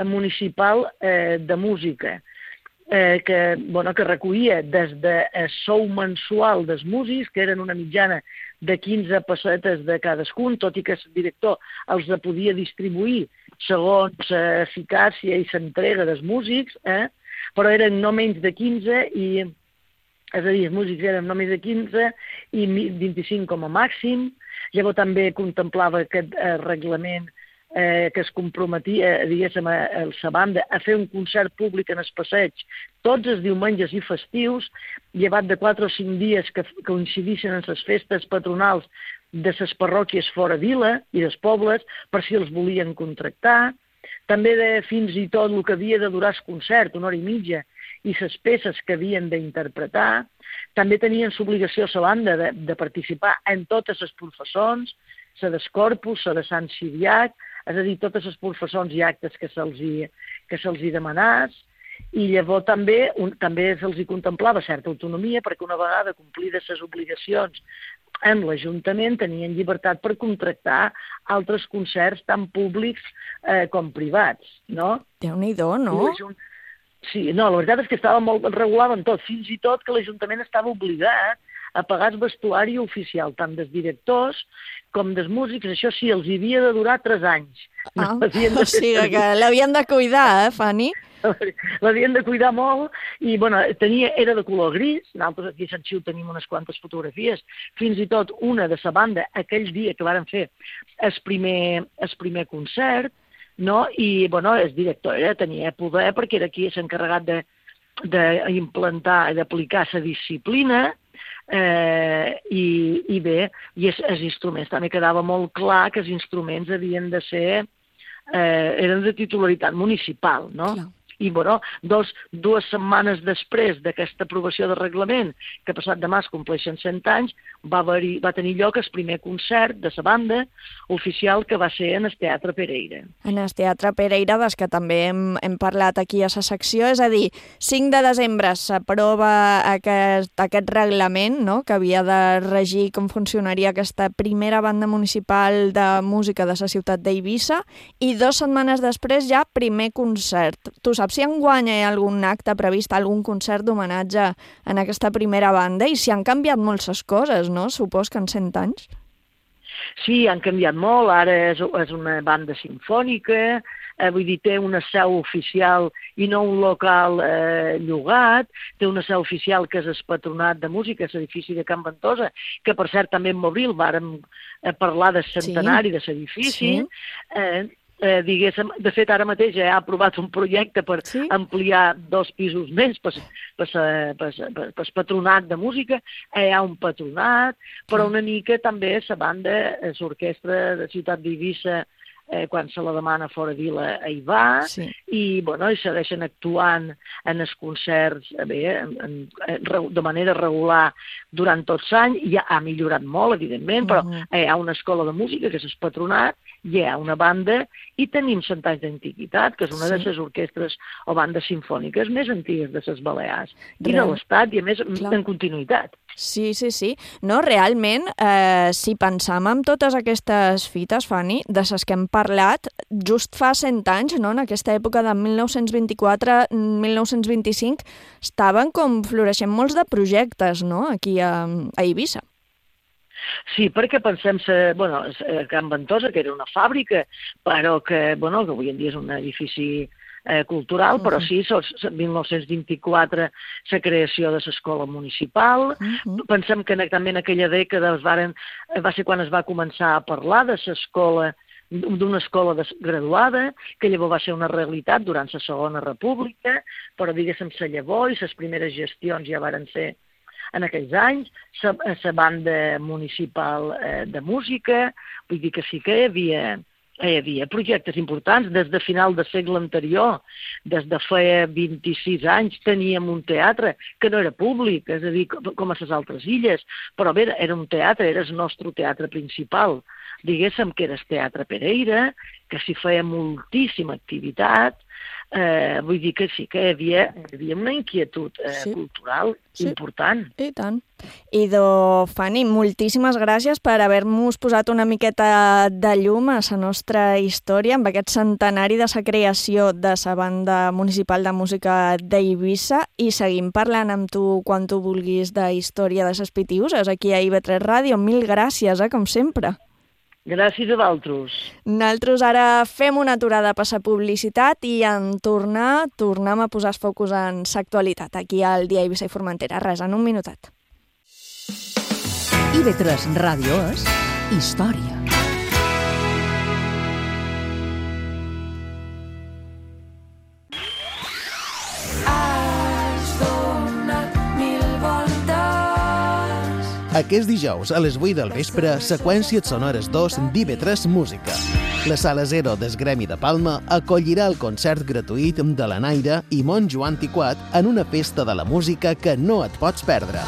municipal eh, de música, eh, que, bueno, que recollia des del sou mensual dels músics, que eren una mitjana de quinze pessetes de cadascun, tot i que el director els podia distribuir segons l'eficàcia i l'entrega dels músics, eh? Però eren no menys de quinze, i, és a dir, els músics eren no menys de quinze i vint-i-cinc com a màxim. Llavors també contemplava aquest eh, reglament eh, que es comprometia, diguéssim, a, a la banda a fer un concert públic en el passeig tots els diumenges i festius, llevat de quatre o cinc dies que, que coincidissin en les festes patronals de les parròquies fora vila i dels pobles, per si els volien contractar. També de fins i tot el que havia de durar el concert, una hora i mitja, i les peces que havien d'interpretar. També tenien l'obligació a la banda de, de participar en totes les professons, la del Corpus, la de Sant Siriac, és a dir, totes les professons i actes que se'ls hi, que se'ls hi demanàs. I llavors també, un, també se'ls hi contemplava certa autonomia, perquè una vegada complides les obligacions en l'Ajuntament tenien llibertat per contractar altres concerts tant públics eh, com privats, no? Déu-n'hi-do, no? Sí, no, la veritat és que estava molt regulat en tot, fins i tot que l'Ajuntament estava obligat a pagar el vestuari oficial, tant dels directors com dels músics. Això sí, els havia de durar tres anys. Ah, no, o sigui que l'havien de cuidar, eh, Fanny? L'havien de cuidar molt i, bueno, tenia, era de color gris. Nosaltres aquí a Sant Xiu tenim unes quantes fotografies, fins i tot una de la banda aquell dia que varen fer el primer, el primer concert, no? I, bueno, el director era, tenia poder perquè era qui s'ha encarregat d'implantar i d'aplicar la disciplina. Eh, i, i bé, i els, els instruments també quedava molt clar que els instruments havien de ser, eh, eren de titularitat municipal, no? Clar. I, bueno, dos, dues setmanes després d'aquesta aprovació de reglament, que passat demà es compleixen cent anys, va, haver, va tenir lloc el primer concert de la banda oficial, que va ser en el Teatre Pereira. En el Teatre Pereira, des que també hem, hem parlat aquí a la secció, és a dir, cinc de desembre s'aprova aquest, aquest reglament, no?, que havia de regir com funcionaria aquesta primera banda municipal de música de la ciutat d'Eivissa, i dues setmanes després ja primer concert. Tu saps si enguany hi ha algun acte previst, algun concert d'homenatge en aquesta primera banda, i si han canviat molt les coses, no? Supos que en cent anys. Sí, han canviat molt. Ara és, és una banda sinfònica, eh, vull dir, té una seu oficial i no un local eh, llogat, té una seu oficial que és el Patronat de Música, l'edifici de Can Ventosa, que per cert també en Mobril vàrem eh, parlar del centenari sí. de l'edifici. Sí. Eh, Eh, diguéssim, de fet, ara mateix ja ha aprovat un projecte per sí? ampliar dos pisos més per, per, per, per, per patronat de música. Eh, hi ha un patronat, però una mica també la banda, l'orquestra de Ciutat d'Eivissa, eh, quan se la demana fora vila, hi va, sí. i, bueno, i segueixen actuant en els concerts bé, en, en, de manera regular durant tot l'any. Ja ha millorat molt, evidentment, però uh-huh. eh, hi ha una escola de música, que és el patronat, hi ha una banda, i tenim cent anys d'antiguitat, que és una sí. de les orquestres o bandes sinfòniques més antigues de les Balears, i de l'Estat, i a més Clar. en continuïtat. Sí, sí, sí. No, realment, eh, si pensam en totes aquestes fites, Fanny, de les que hem parlat, just fa cent anys, no?, en aquesta època de mil nou-cents vint-i-quatre a mil nou-cents vint-i-cinc, estaven com floreixent molts de projectes, no?, aquí a, a Eivissa. Sí, perquè pensem que, bueno, Can Ventosa, que era una fàbrica, però que, bueno, que avui en dia és un edifici eh, cultural, uh-huh. però sí, mil nou-cents vint-i-quatre la creació de l'escola municipal. Uh-huh. Pensem que també en aquella dècada es varen, va ser quan es va començar a parlar de l'escola, d'una escola graduada, que llavors va ser una realitat durant la Segona República, però diguéssim la llavor i les primeres gestions ja varen ser en aquells anys, la banda municipal eh, de música, vull dir que sí que hi havia, hi havia projectes importants des de final del segle anterior, des de fa vint-i-sis anys teníem un teatre que no era públic, és a dir, com a les altres illes, però bé, era un teatre, era el nostre teatre principal, diguéssim que era el Teatre Pereira, que s'hi feia moltíssima activitat, eh, vull dir que sí que hi havia, hi havia una inquietud eh, sí. cultural sí. important. I tant. Idò, Fanny, moltíssimes gràcies per haver-nos posat una miqueta de llum a la nostra història amb aquest centenari de la creació de la Banda Municipal de Música d'Eivissa i seguim parlant amb tu quan tu vulguis de història de les Pitiüses aquí a I V tres Ràdio. Mil gràcies, eh, com sempre. Gràcies a vosaltres. Nosaltres ara fem una aturada per la publicitat i en tornar tornem a posar els focus en l'actualitat aquí al Dia Eivissa i Formentera. Res, en un minutet. I V tres Ràdio és història. Aquest dijous, a les vuit del vespre, Seqüències Sonores dos d'I V tres Música. La Sala Zero del Gremi de Palma acollirà el concert gratuït de la Naira i Monjo Antiquat en una festa de la música que no et pots perdre.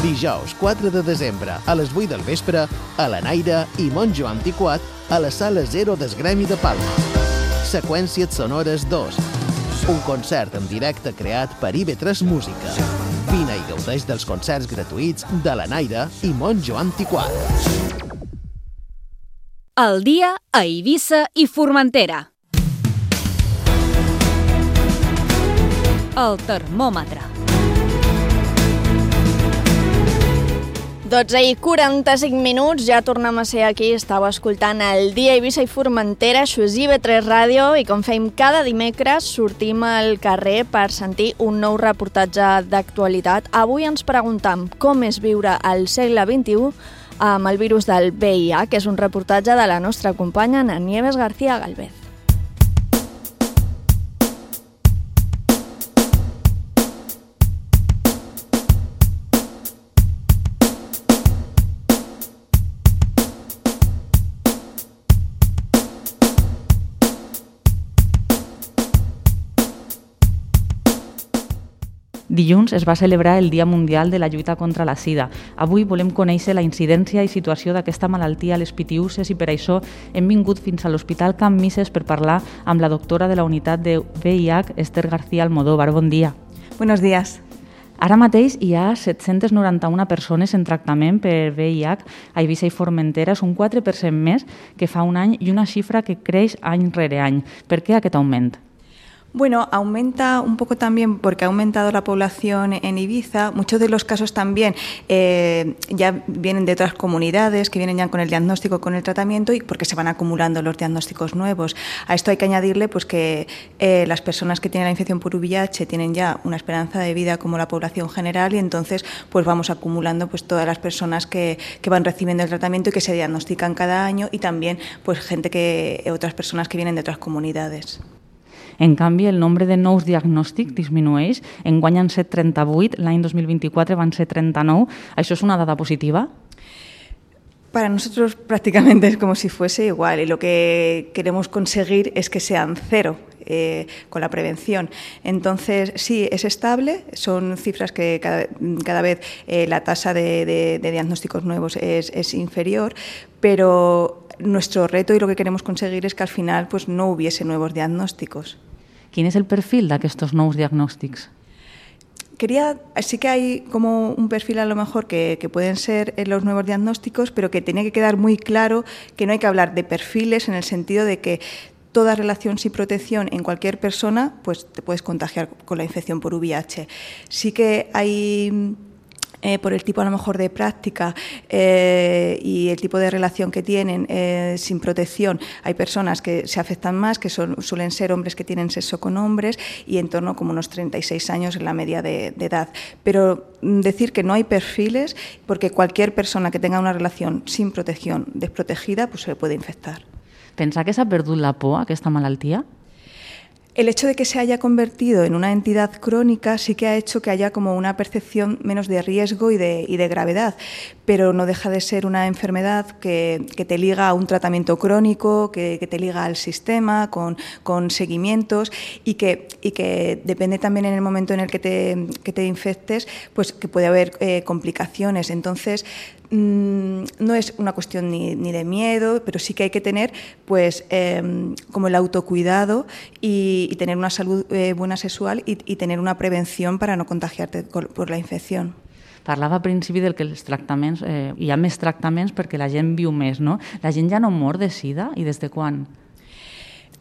Dijous, quatre de desembre, a les vuit del vespre, a la Naira i Monjo Antiquat a la Sala Zero del Gremi de Palma. Seqüències Sonores dos. Un concert en directe creat per I V tres Música. Vine i gaudeix dels concerts gratuïts de la Naira i Monjo Antiquat. El dia a Eivissa i Formentera. El termòmetre. dotze i quaranta-cinc minuts, ja tornem a ser aquí, estàu escoltant el Dia Eivissa i Formentera, això és I V tres Ràdio, i com fem cada dimecres, sortim al carrer per sentir un nou reportatge d'actualitat. Avui ens preguntam com és viure al segle vint-i-u amb el virus del V I H, que és un reportatge de la nostra companya Ana Nieves García Galvez. Dilluns es va celebrar el Dia Mundial de la Lluita contra la Sida. Avui volem conèixer la incidència i situació d'aquesta malaltia a les Pitiüses i per això hem vingut fins a l'Hospital Can Misses per parlar amb la doctora de la unitat de V I H, Esther García Almodóvar. Bon dia. Buenos días. Ara mateix hi ha set-centes noranta-una persones en tractament per V I H a Eivissa i Formentera, és un quatre per cent més que fa un any i una xifra que creix any rere any. Per què aquest augment? Bueno, aumenta un poco también porque ha aumentado la población en Ibiza. Muchos de los casos también eh, ya vienen de otras comunidades que vienen ya con el diagnóstico, con el tratamiento y porque se van acumulando los diagnósticos nuevos. A esto hay que añadirle pues, que eh, las personas que tienen la infección por V I H tienen ya una esperanza de vida como la población general y entonces pues vamos acumulando pues, todas las personas que, que van recibiendo el tratamiento y que se diagnostican cada año y también pues, gente que, otras personas que vienen de otras comunidades. En canvi, el nombre de nous diagnòstics disminueix. Enguany han set trenta-vuit, l'any dos mil vint-i-quatre van ser trenta-nou. ¿Això es una dada positiva? Para nosotros prácticamente es como si fuese igual y lo que queremos conseguir es que sean cero eh, con la prevención. Entonces, sí, es estable, son cifras que cada, cada vez eh, la tasa de, de, de diagnósticos nuevos es, es inferior, pero nuestro reto y lo que queremos conseguir es que al final pues, no hubiese nuevos diagnósticos. Quin és el perfil d'aquests nous diagnòstics? Quería, sí que hay como un perfil a lo mejor que, que pueden ser los nuevos diagnósticos, pero que tenía que quedar muy claro que no hay que hablar de perfiles en el sentido de que toda relación sin protección en cualquier persona, pues te puedes contagiar con la infección por V I H. Sí que hay... Eh, por el tipo a lo mejor de práctica eh, y el tipo de relación que tienen eh, sin protección, hay personas que se afectan más, que son, suelen ser hombres que tienen sexo con hombres y en torno como unos treinta y seis años en la media de, de edad. Pero decir que no hay perfiles porque cualquier persona que tenga una relación sin protección desprotegida pues se le puede infectar. Pensa que s'ha perdut la por a aquesta malaltia? El hecho de que se haya convertido en una entidad crónica sí que ha hecho que haya como una percepción menos de riesgo y de, y de gravedad, pero no deja de ser una enfermedad que, que te liga a un tratamiento crónico, que, que te liga al sistema, con, con seguimientos y que, y que depende también en el momento en el que te, que te infectes, pues que puede haber eh, complicaciones. Entonces, no es una cuestión ni, ni de miedo, pero sí que hay que tener pues eh, como el autocuidado y, y tener una salud eh, buena sexual y, y tener una prevención para no contagiarte por la infección. Parlava al principi del que els tractaments, eh, hi ha més tractaments perquè la gent viu més, no? La gent ja no mor de sida i des de quan?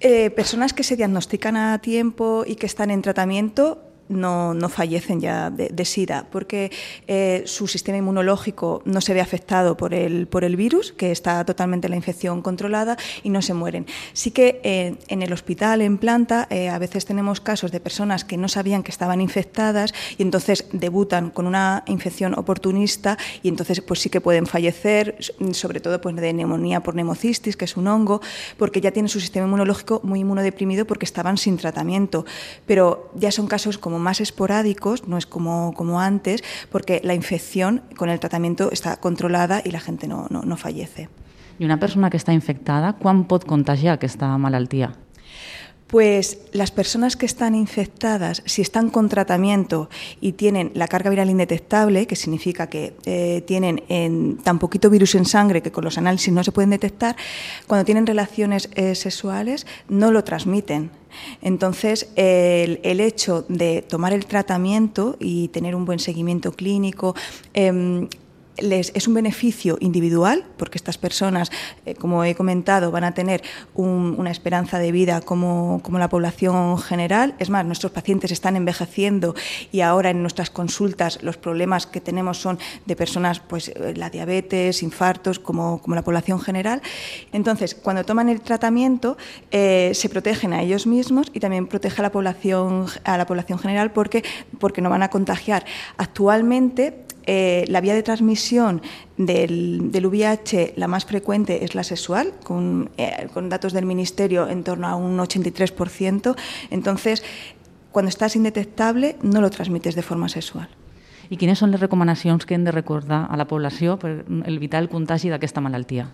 Eh, personas que se diagnostican a tiempo y que están en tratamiento No, no fallecen ya de, de SIDA, porque eh, su sistema inmunológico no se ve afectado por el, por el virus, que está totalmente la infección controlada, y no se mueren. Sí que eh, en el hospital, en planta, eh, a veces tenemos casos de personas que no sabían que estaban infectadas y entonces debutan con una infección oportunista y entonces pues sí que pueden fallecer, sobre todo pues, de neumonía por neumocistis, que es un hongo, porque ya tienen su sistema inmunológico muy inmunodeprimido porque estaban sin tratamiento. Pero ya son casos como más esporádicos, no es como, como antes, porque la infección con el tratamiento está controlada y la gente no, no, no fallece. I una persona que està infectada, quan pot contagiar aquesta malaltia? Pues las personas que están infectadas, si están con tratamiento y tienen la carga viral indetectable, que significa que eh, tienen en, tan poquito virus en sangre que con los análisis no se pueden detectar, cuando tienen relaciones eh, sexuales no lo transmiten. Entonces, el, el hecho de tomar el tratamiento y tener un buen seguimiento clínico eh, Les, es un beneficio individual, porque estas personas, eh, como he comentado, van a tener un, una esperanza de vida como, como la población general. Es más, nuestros pacientes están envejeciendo y ahora en nuestras consultas los problemas que tenemos son de personas, pues la diabetes, infartos, como, como la población general. Entonces, cuando toman el tratamiento, eh, se protegen a ellos mismos y también protege a la población, a la población general porque, porque no van a contagiar. Actualmente, Eh, la vía de transmisión del, del V I H, la más frecuente es la sexual, con, eh, con datos del Ministerio en torno a un ochenta y tres por ciento. Entonces, cuando estás indetectable, no lo transmites de forma sexual. I quines són les recomanacions que hem de recordar a la població per evitar el contagi d'aquesta malaltia?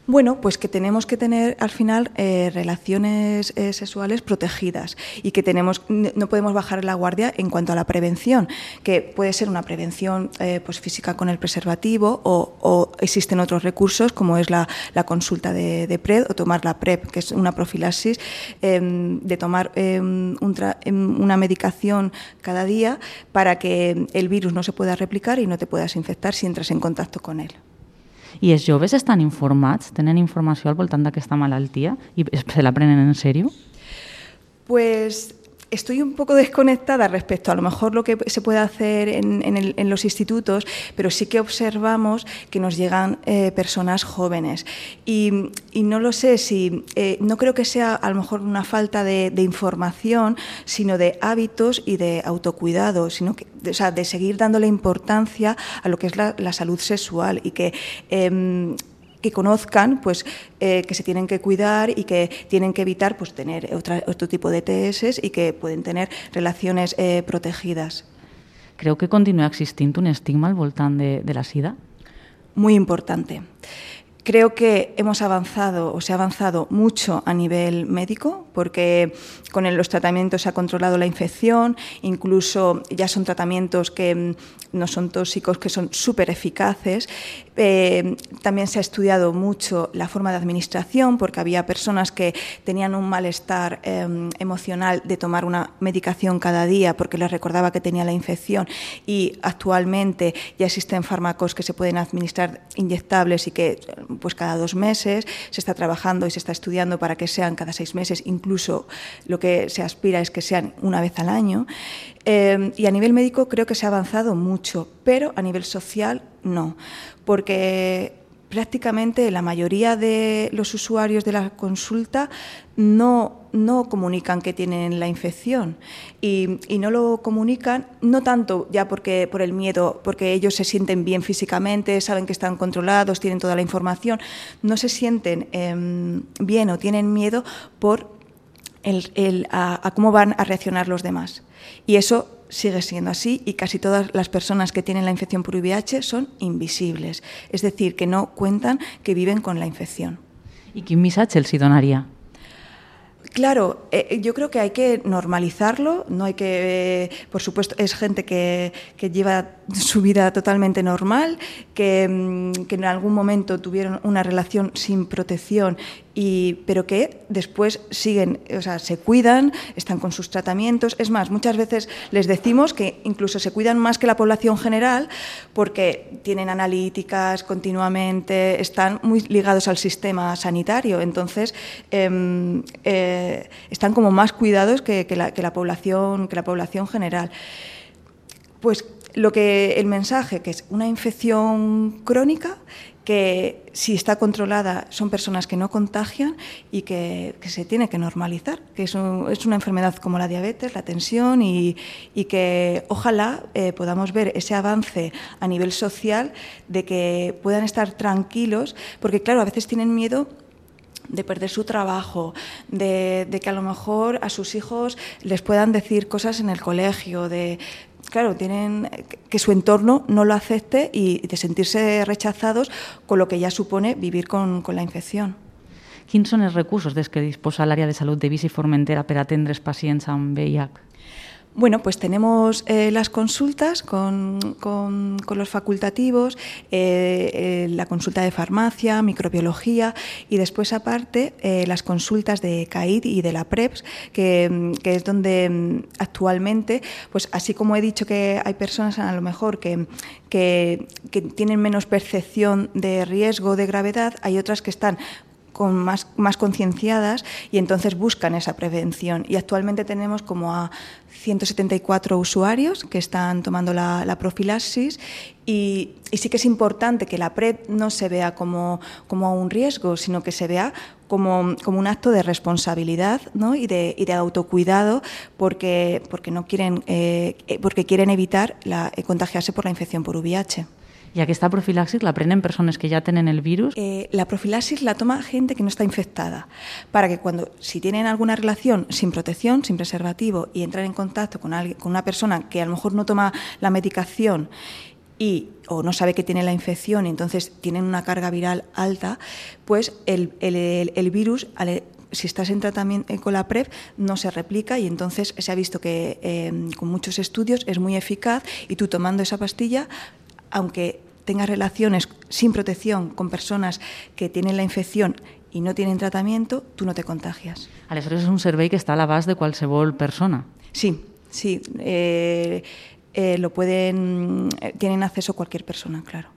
Bueno, pues que tenemos que tener al final eh, relaciones eh, sexuales protegidas y que tenemos, no podemos bajar la guardia en cuanto a la prevención, que puede ser una prevención eh, pues física con el preservativo o, o existen otros recursos como es la, la consulta de, de PrEP o tomar la PrEP, que es una profilaxis, eh, de tomar eh, un tra, una medicación cada día para que el virus no se pueda replicar y no te puedas infectar si entras en contacto con él. I els joves estan informats? Tenen informació al voltant d'aquesta malaltia i se la prenen en sèrio? Pues estoy un poco desconectada respecto a lo mejor lo que se puede hacer en, en, el, en los institutos, pero sí que observamos que nos llegan eh, personas jóvenes y, y no lo sé si, eh, no creo que sea a lo mejor una falta de, de información, sino de hábitos y de autocuidado, sino que, o sea, de seguir dándole importancia a lo que es la, la salud sexual y que eh, que conozcan pues, eh, que se tienen que cuidar y que tienen que evitar pues, tener otra, otro tipo de T S y que pueden tener relaciones eh, protegidas. Creu que continua existint un estigma al voltant de, de la sida? Muy importante. Creo que hemos avanzado o se ha avanzado mucho a nivel médico porque con los tratamientos se ha controlado la infección, incluso ya son tratamientos que no son tóxicos, que son súper eficaces. Eh, también se ha estudiado mucho la forma de administración porque había personas que tenían un malestar eh, emocional de tomar una medicación cada día porque les recordaba que tenía la infección y actualmente ya existen fármacos que se pueden administrar inyectables y que pues cada dos meses se está trabajando y se está estudiando para que sean cada seis meses, incluso lo que se aspira es que sean una vez al año. Eh, y a nivel médico creo que se ha avanzado mucho, pero a nivel social no, porque prácticamente la mayoría de los usuarios de la consulta no, no comunican que tienen la infección y, y no lo comunican no tanto ya porque por el miedo, porque ellos se sienten bien físicamente, saben que están controlados, tienen toda la información, no se sienten eh, bien o tienen miedo por el, el, a, a cómo van a reaccionar los demás. Y eso sigue siendo así y casi todas las personas que tienen la infección por V I H son invisibles, es decir, que no cuentan que viven con la infección. I quin missatge els hi donaria? Claro, eh, yo creo que hay que normalizarlo, no hay que, eh, por supuesto, es gente que, que lleva su vida totalmente normal, que, que en algún momento tuvieron una relación sin protección, y, pero que después siguen, o sea, se cuidan, están con sus tratamientos. Es más, muchas veces les decimos que incluso se cuidan más que la población general porque tienen analíticas continuamente, están muy ligados al sistema sanitario, entonces eh, eh, están como más cuidados que, que, la, que, la población, que la población general. Pues lo que el mensaje, que es una infección crónica, que si está controlada son personas que no contagian y que, que se tiene que normalizar, que es, un, es una enfermedad como la diabetes, la tensión y, y que ojalá eh, podamos ver ese avance a nivel social de que puedan estar tranquilos, porque claro, a veces tienen miedo de perder su trabajo, de, de que a lo mejor a sus hijos les puedan decir cosas en el colegio, de... Claro, tienen que su entorno no lo acepte y de sentirse rechazados con lo que ya supone vivir con, con la infección. Quins són els recursos des que disposa l'àrea de salut d'Eivissa i Formentera per atendre els pacients amb V I H? Bueno, pues tenemos eh, las consultas con, con, con los facultativos, eh, eh, la consulta de farmacia, microbiología y después aparte eh, las consultas de C A I D y de la PREPS, que, que es donde actualmente, pues así como he dicho que hay personas a lo mejor que, que, que tienen menos percepción de riesgo, de gravedad, hay otras que están con más, más concienciadas y entonces buscan esa prevención. Y actualmente tenemos como a ciento setenta y cuatro usuarios que están tomando la, la profilaxis y, y sí que es importante que la PrEP no se vea como, como un riesgo, sino que se vea como, como un acto de responsabilidad, ¿no? y, de, y de autocuidado porque, porque, no quieren, eh, porque quieren evitar la, eh, contagiarse por la infección por V I H. ¿Y aquesta profilaxis la prenen personas que ya tienen el virus? Eh, la profilaxis la toma gente que no está infectada, para que cuando, si tienen alguna relación sin protección, sin preservativo, y entran en contacto con, alguien, con una persona que a lo mejor no toma la medicación y, o no sabe que tiene la infección y entonces tienen una carga viral alta, pues el, el, el, el virus... si estás en tratamiento con la PrEP, no se replica y entonces se ha visto que eh, con muchos estudios es muy eficaz y tú tomando esa pastilla, aunque tengas relaciones sin protección con personas que tienen la infección y no tienen tratamiento, tú no te contagias. Aleshores és un servei que està a l'abast de qualsevol persona. Sí, sí. Eh, eh, lo pueden, tienen acceso cualquier persona, claro.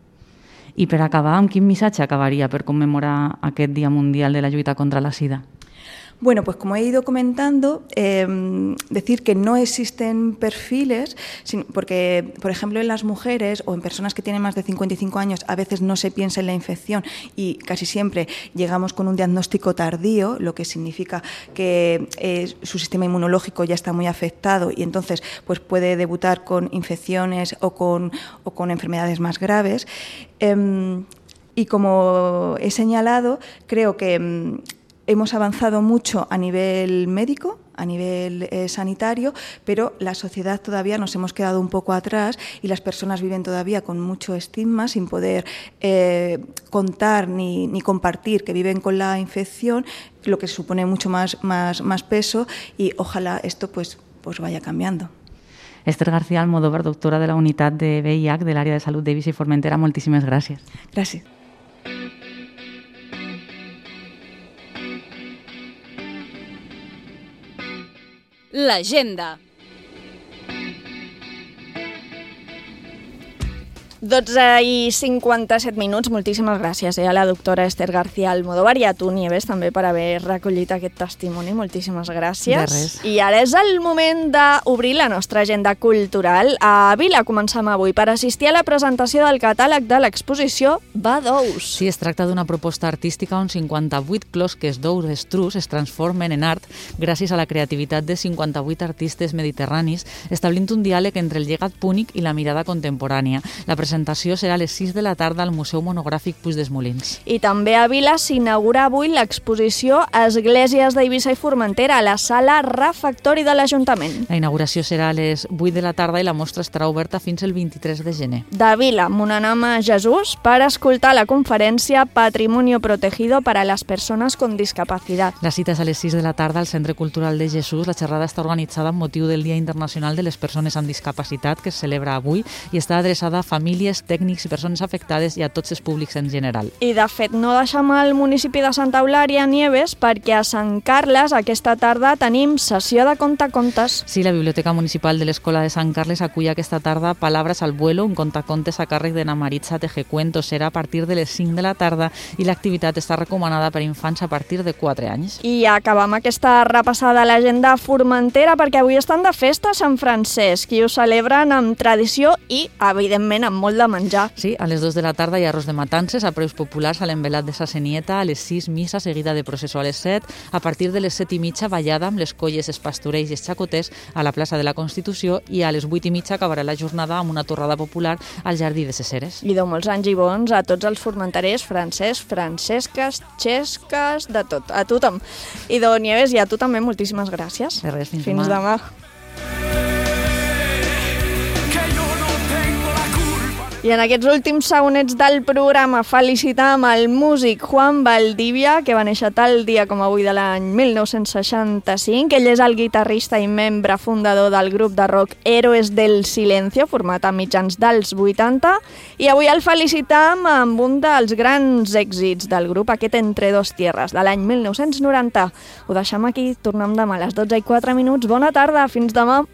I per acabar, amb quin missatge acabaria per commemorar aquest Dia Mundial de la Lluita contra la Sida? Bueno, pues como he ido comentando, eh, decir que no existen perfiles, porque, por ejemplo, en las mujeres o en personas que tienen más de cincuenta y cinco años, a veces no se piensa en la infección y casi siempre llegamos con un diagnóstico tardío, lo que significa que eh, su sistema inmunológico ya está muy afectado y entonces pues puede debutar con infecciones o con, o con enfermedades más graves. Eh, y como he señalado, creo que hemos avanzado mucho a nivel médico, a nivel eh, sanitario, pero la sociedad todavía nos hemos quedado un poco atrás y las personas viven todavía con mucho estigma, sin poder eh, contar ni, ni compartir que viven con la infección, lo que supone mucho más, más, más peso y ojalá esto pues, pues vaya cambiando. Esther García Almodóvar, doctora de la unitat de V I H de l'àrea de salut d'Eivissa i Formentera, moltíssimes gràcies. Gràcies. L'agenda. dotze i cinquanta-set minuts. Moltíssimes gràcies eh, a la doctora Esther García Almodóvar i a tu, Nieves, també per haver recollit aquest testimoni. Moltíssimes gràcies. De res. I ara és el moment d'obrir la nostra agenda cultural. A Vila comencem avui per assistir a la presentació del catàleg de l'exposició Badous. Sí, es tracta d'una proposta artística on cinquanta-vuit closques d'ous estrus es transformen en art gràcies a la creativitat de cinquanta-vuit artistes mediterranis, establint un diàleg entre el llegat púnic i la mirada contemporània. La presentació presentació serà a les sis de la tarda al Museu Monogràfic Puig des Molins. I també a Vila s'inaugura avui l'exposició Esglésies d'Eivissa i Formentera a la sala refectori de l'Ajuntament. La inauguració serà a les vuit de la tarda i la mostra estarà oberta fins el vint-i-tres de gener. De Vila, Monanam a Jesús, per escoltar la conferència Patrimonio Protegido para las Personas con Discapacidad. La cita és a les sis de la tarda al Centre Cultural de Jesús. La xerrada està organitzada amb motiu del Dia Internacional de les Persones amb Discapacitat, que es celebra avui, i està adreçada a famílies, tècnics i persones afectades i a tots els públics en general. I, de fet, no deixem el municipi de Santa Eulària, Nieves, perquè a Sant Carles aquesta tarda tenim sessió de contacontes. Sí, la Biblioteca Municipal de l'Escola de Sant Carles acull aquesta tarda Palabras al vuelo, un contacontes a càrrec de Namaritza Tejecuentos. Serà a partir de les cinc de la tarda i l'activitat està recomanada per infants a partir de quatre anys. I acabam aquesta repassada a l'agenda Formentera perquè avui estan de festa a Sant Francesc i ho celebren amb tradició i, evidentment, amb molt de menjar. Sí, a les dues de la tarda hi ha arròs de matances a preus populars a l'envelat de sa Senieta, a les sis missa seguida de processó a les set, a partir de les set i mitja ballada amb les colles, els pastorells i els xacoters a la plaça de la Constitució i a les vuit i mitja acabarà la jornada amb una torrada popular al Jardí de ses Eres. I de molts anys i bons a tots els formenterers, francès, francesques, xesques, de tot, a tothom. I de Nieves, i a tu també moltíssimes gràcies. De res, fins, fins demà. demà. I en aquests últims segonets del programa felicitam el músic Juan Valdivia, que va néixer tal dia com avui de l'any mil nou-cents seixanta-cinc. Ell és el guitarrista i membre fundador del grup de rock Héroes del Silencio, format a mitjans dels vuitanta, i avui el felicitam amb un dels grans èxits del grup, aquest Entre dos tierras, de l'any mil nou-cents noranta. Ho deixem aquí, tornem demà a les dotze i quatre minuts. Bona tarda, fins demà.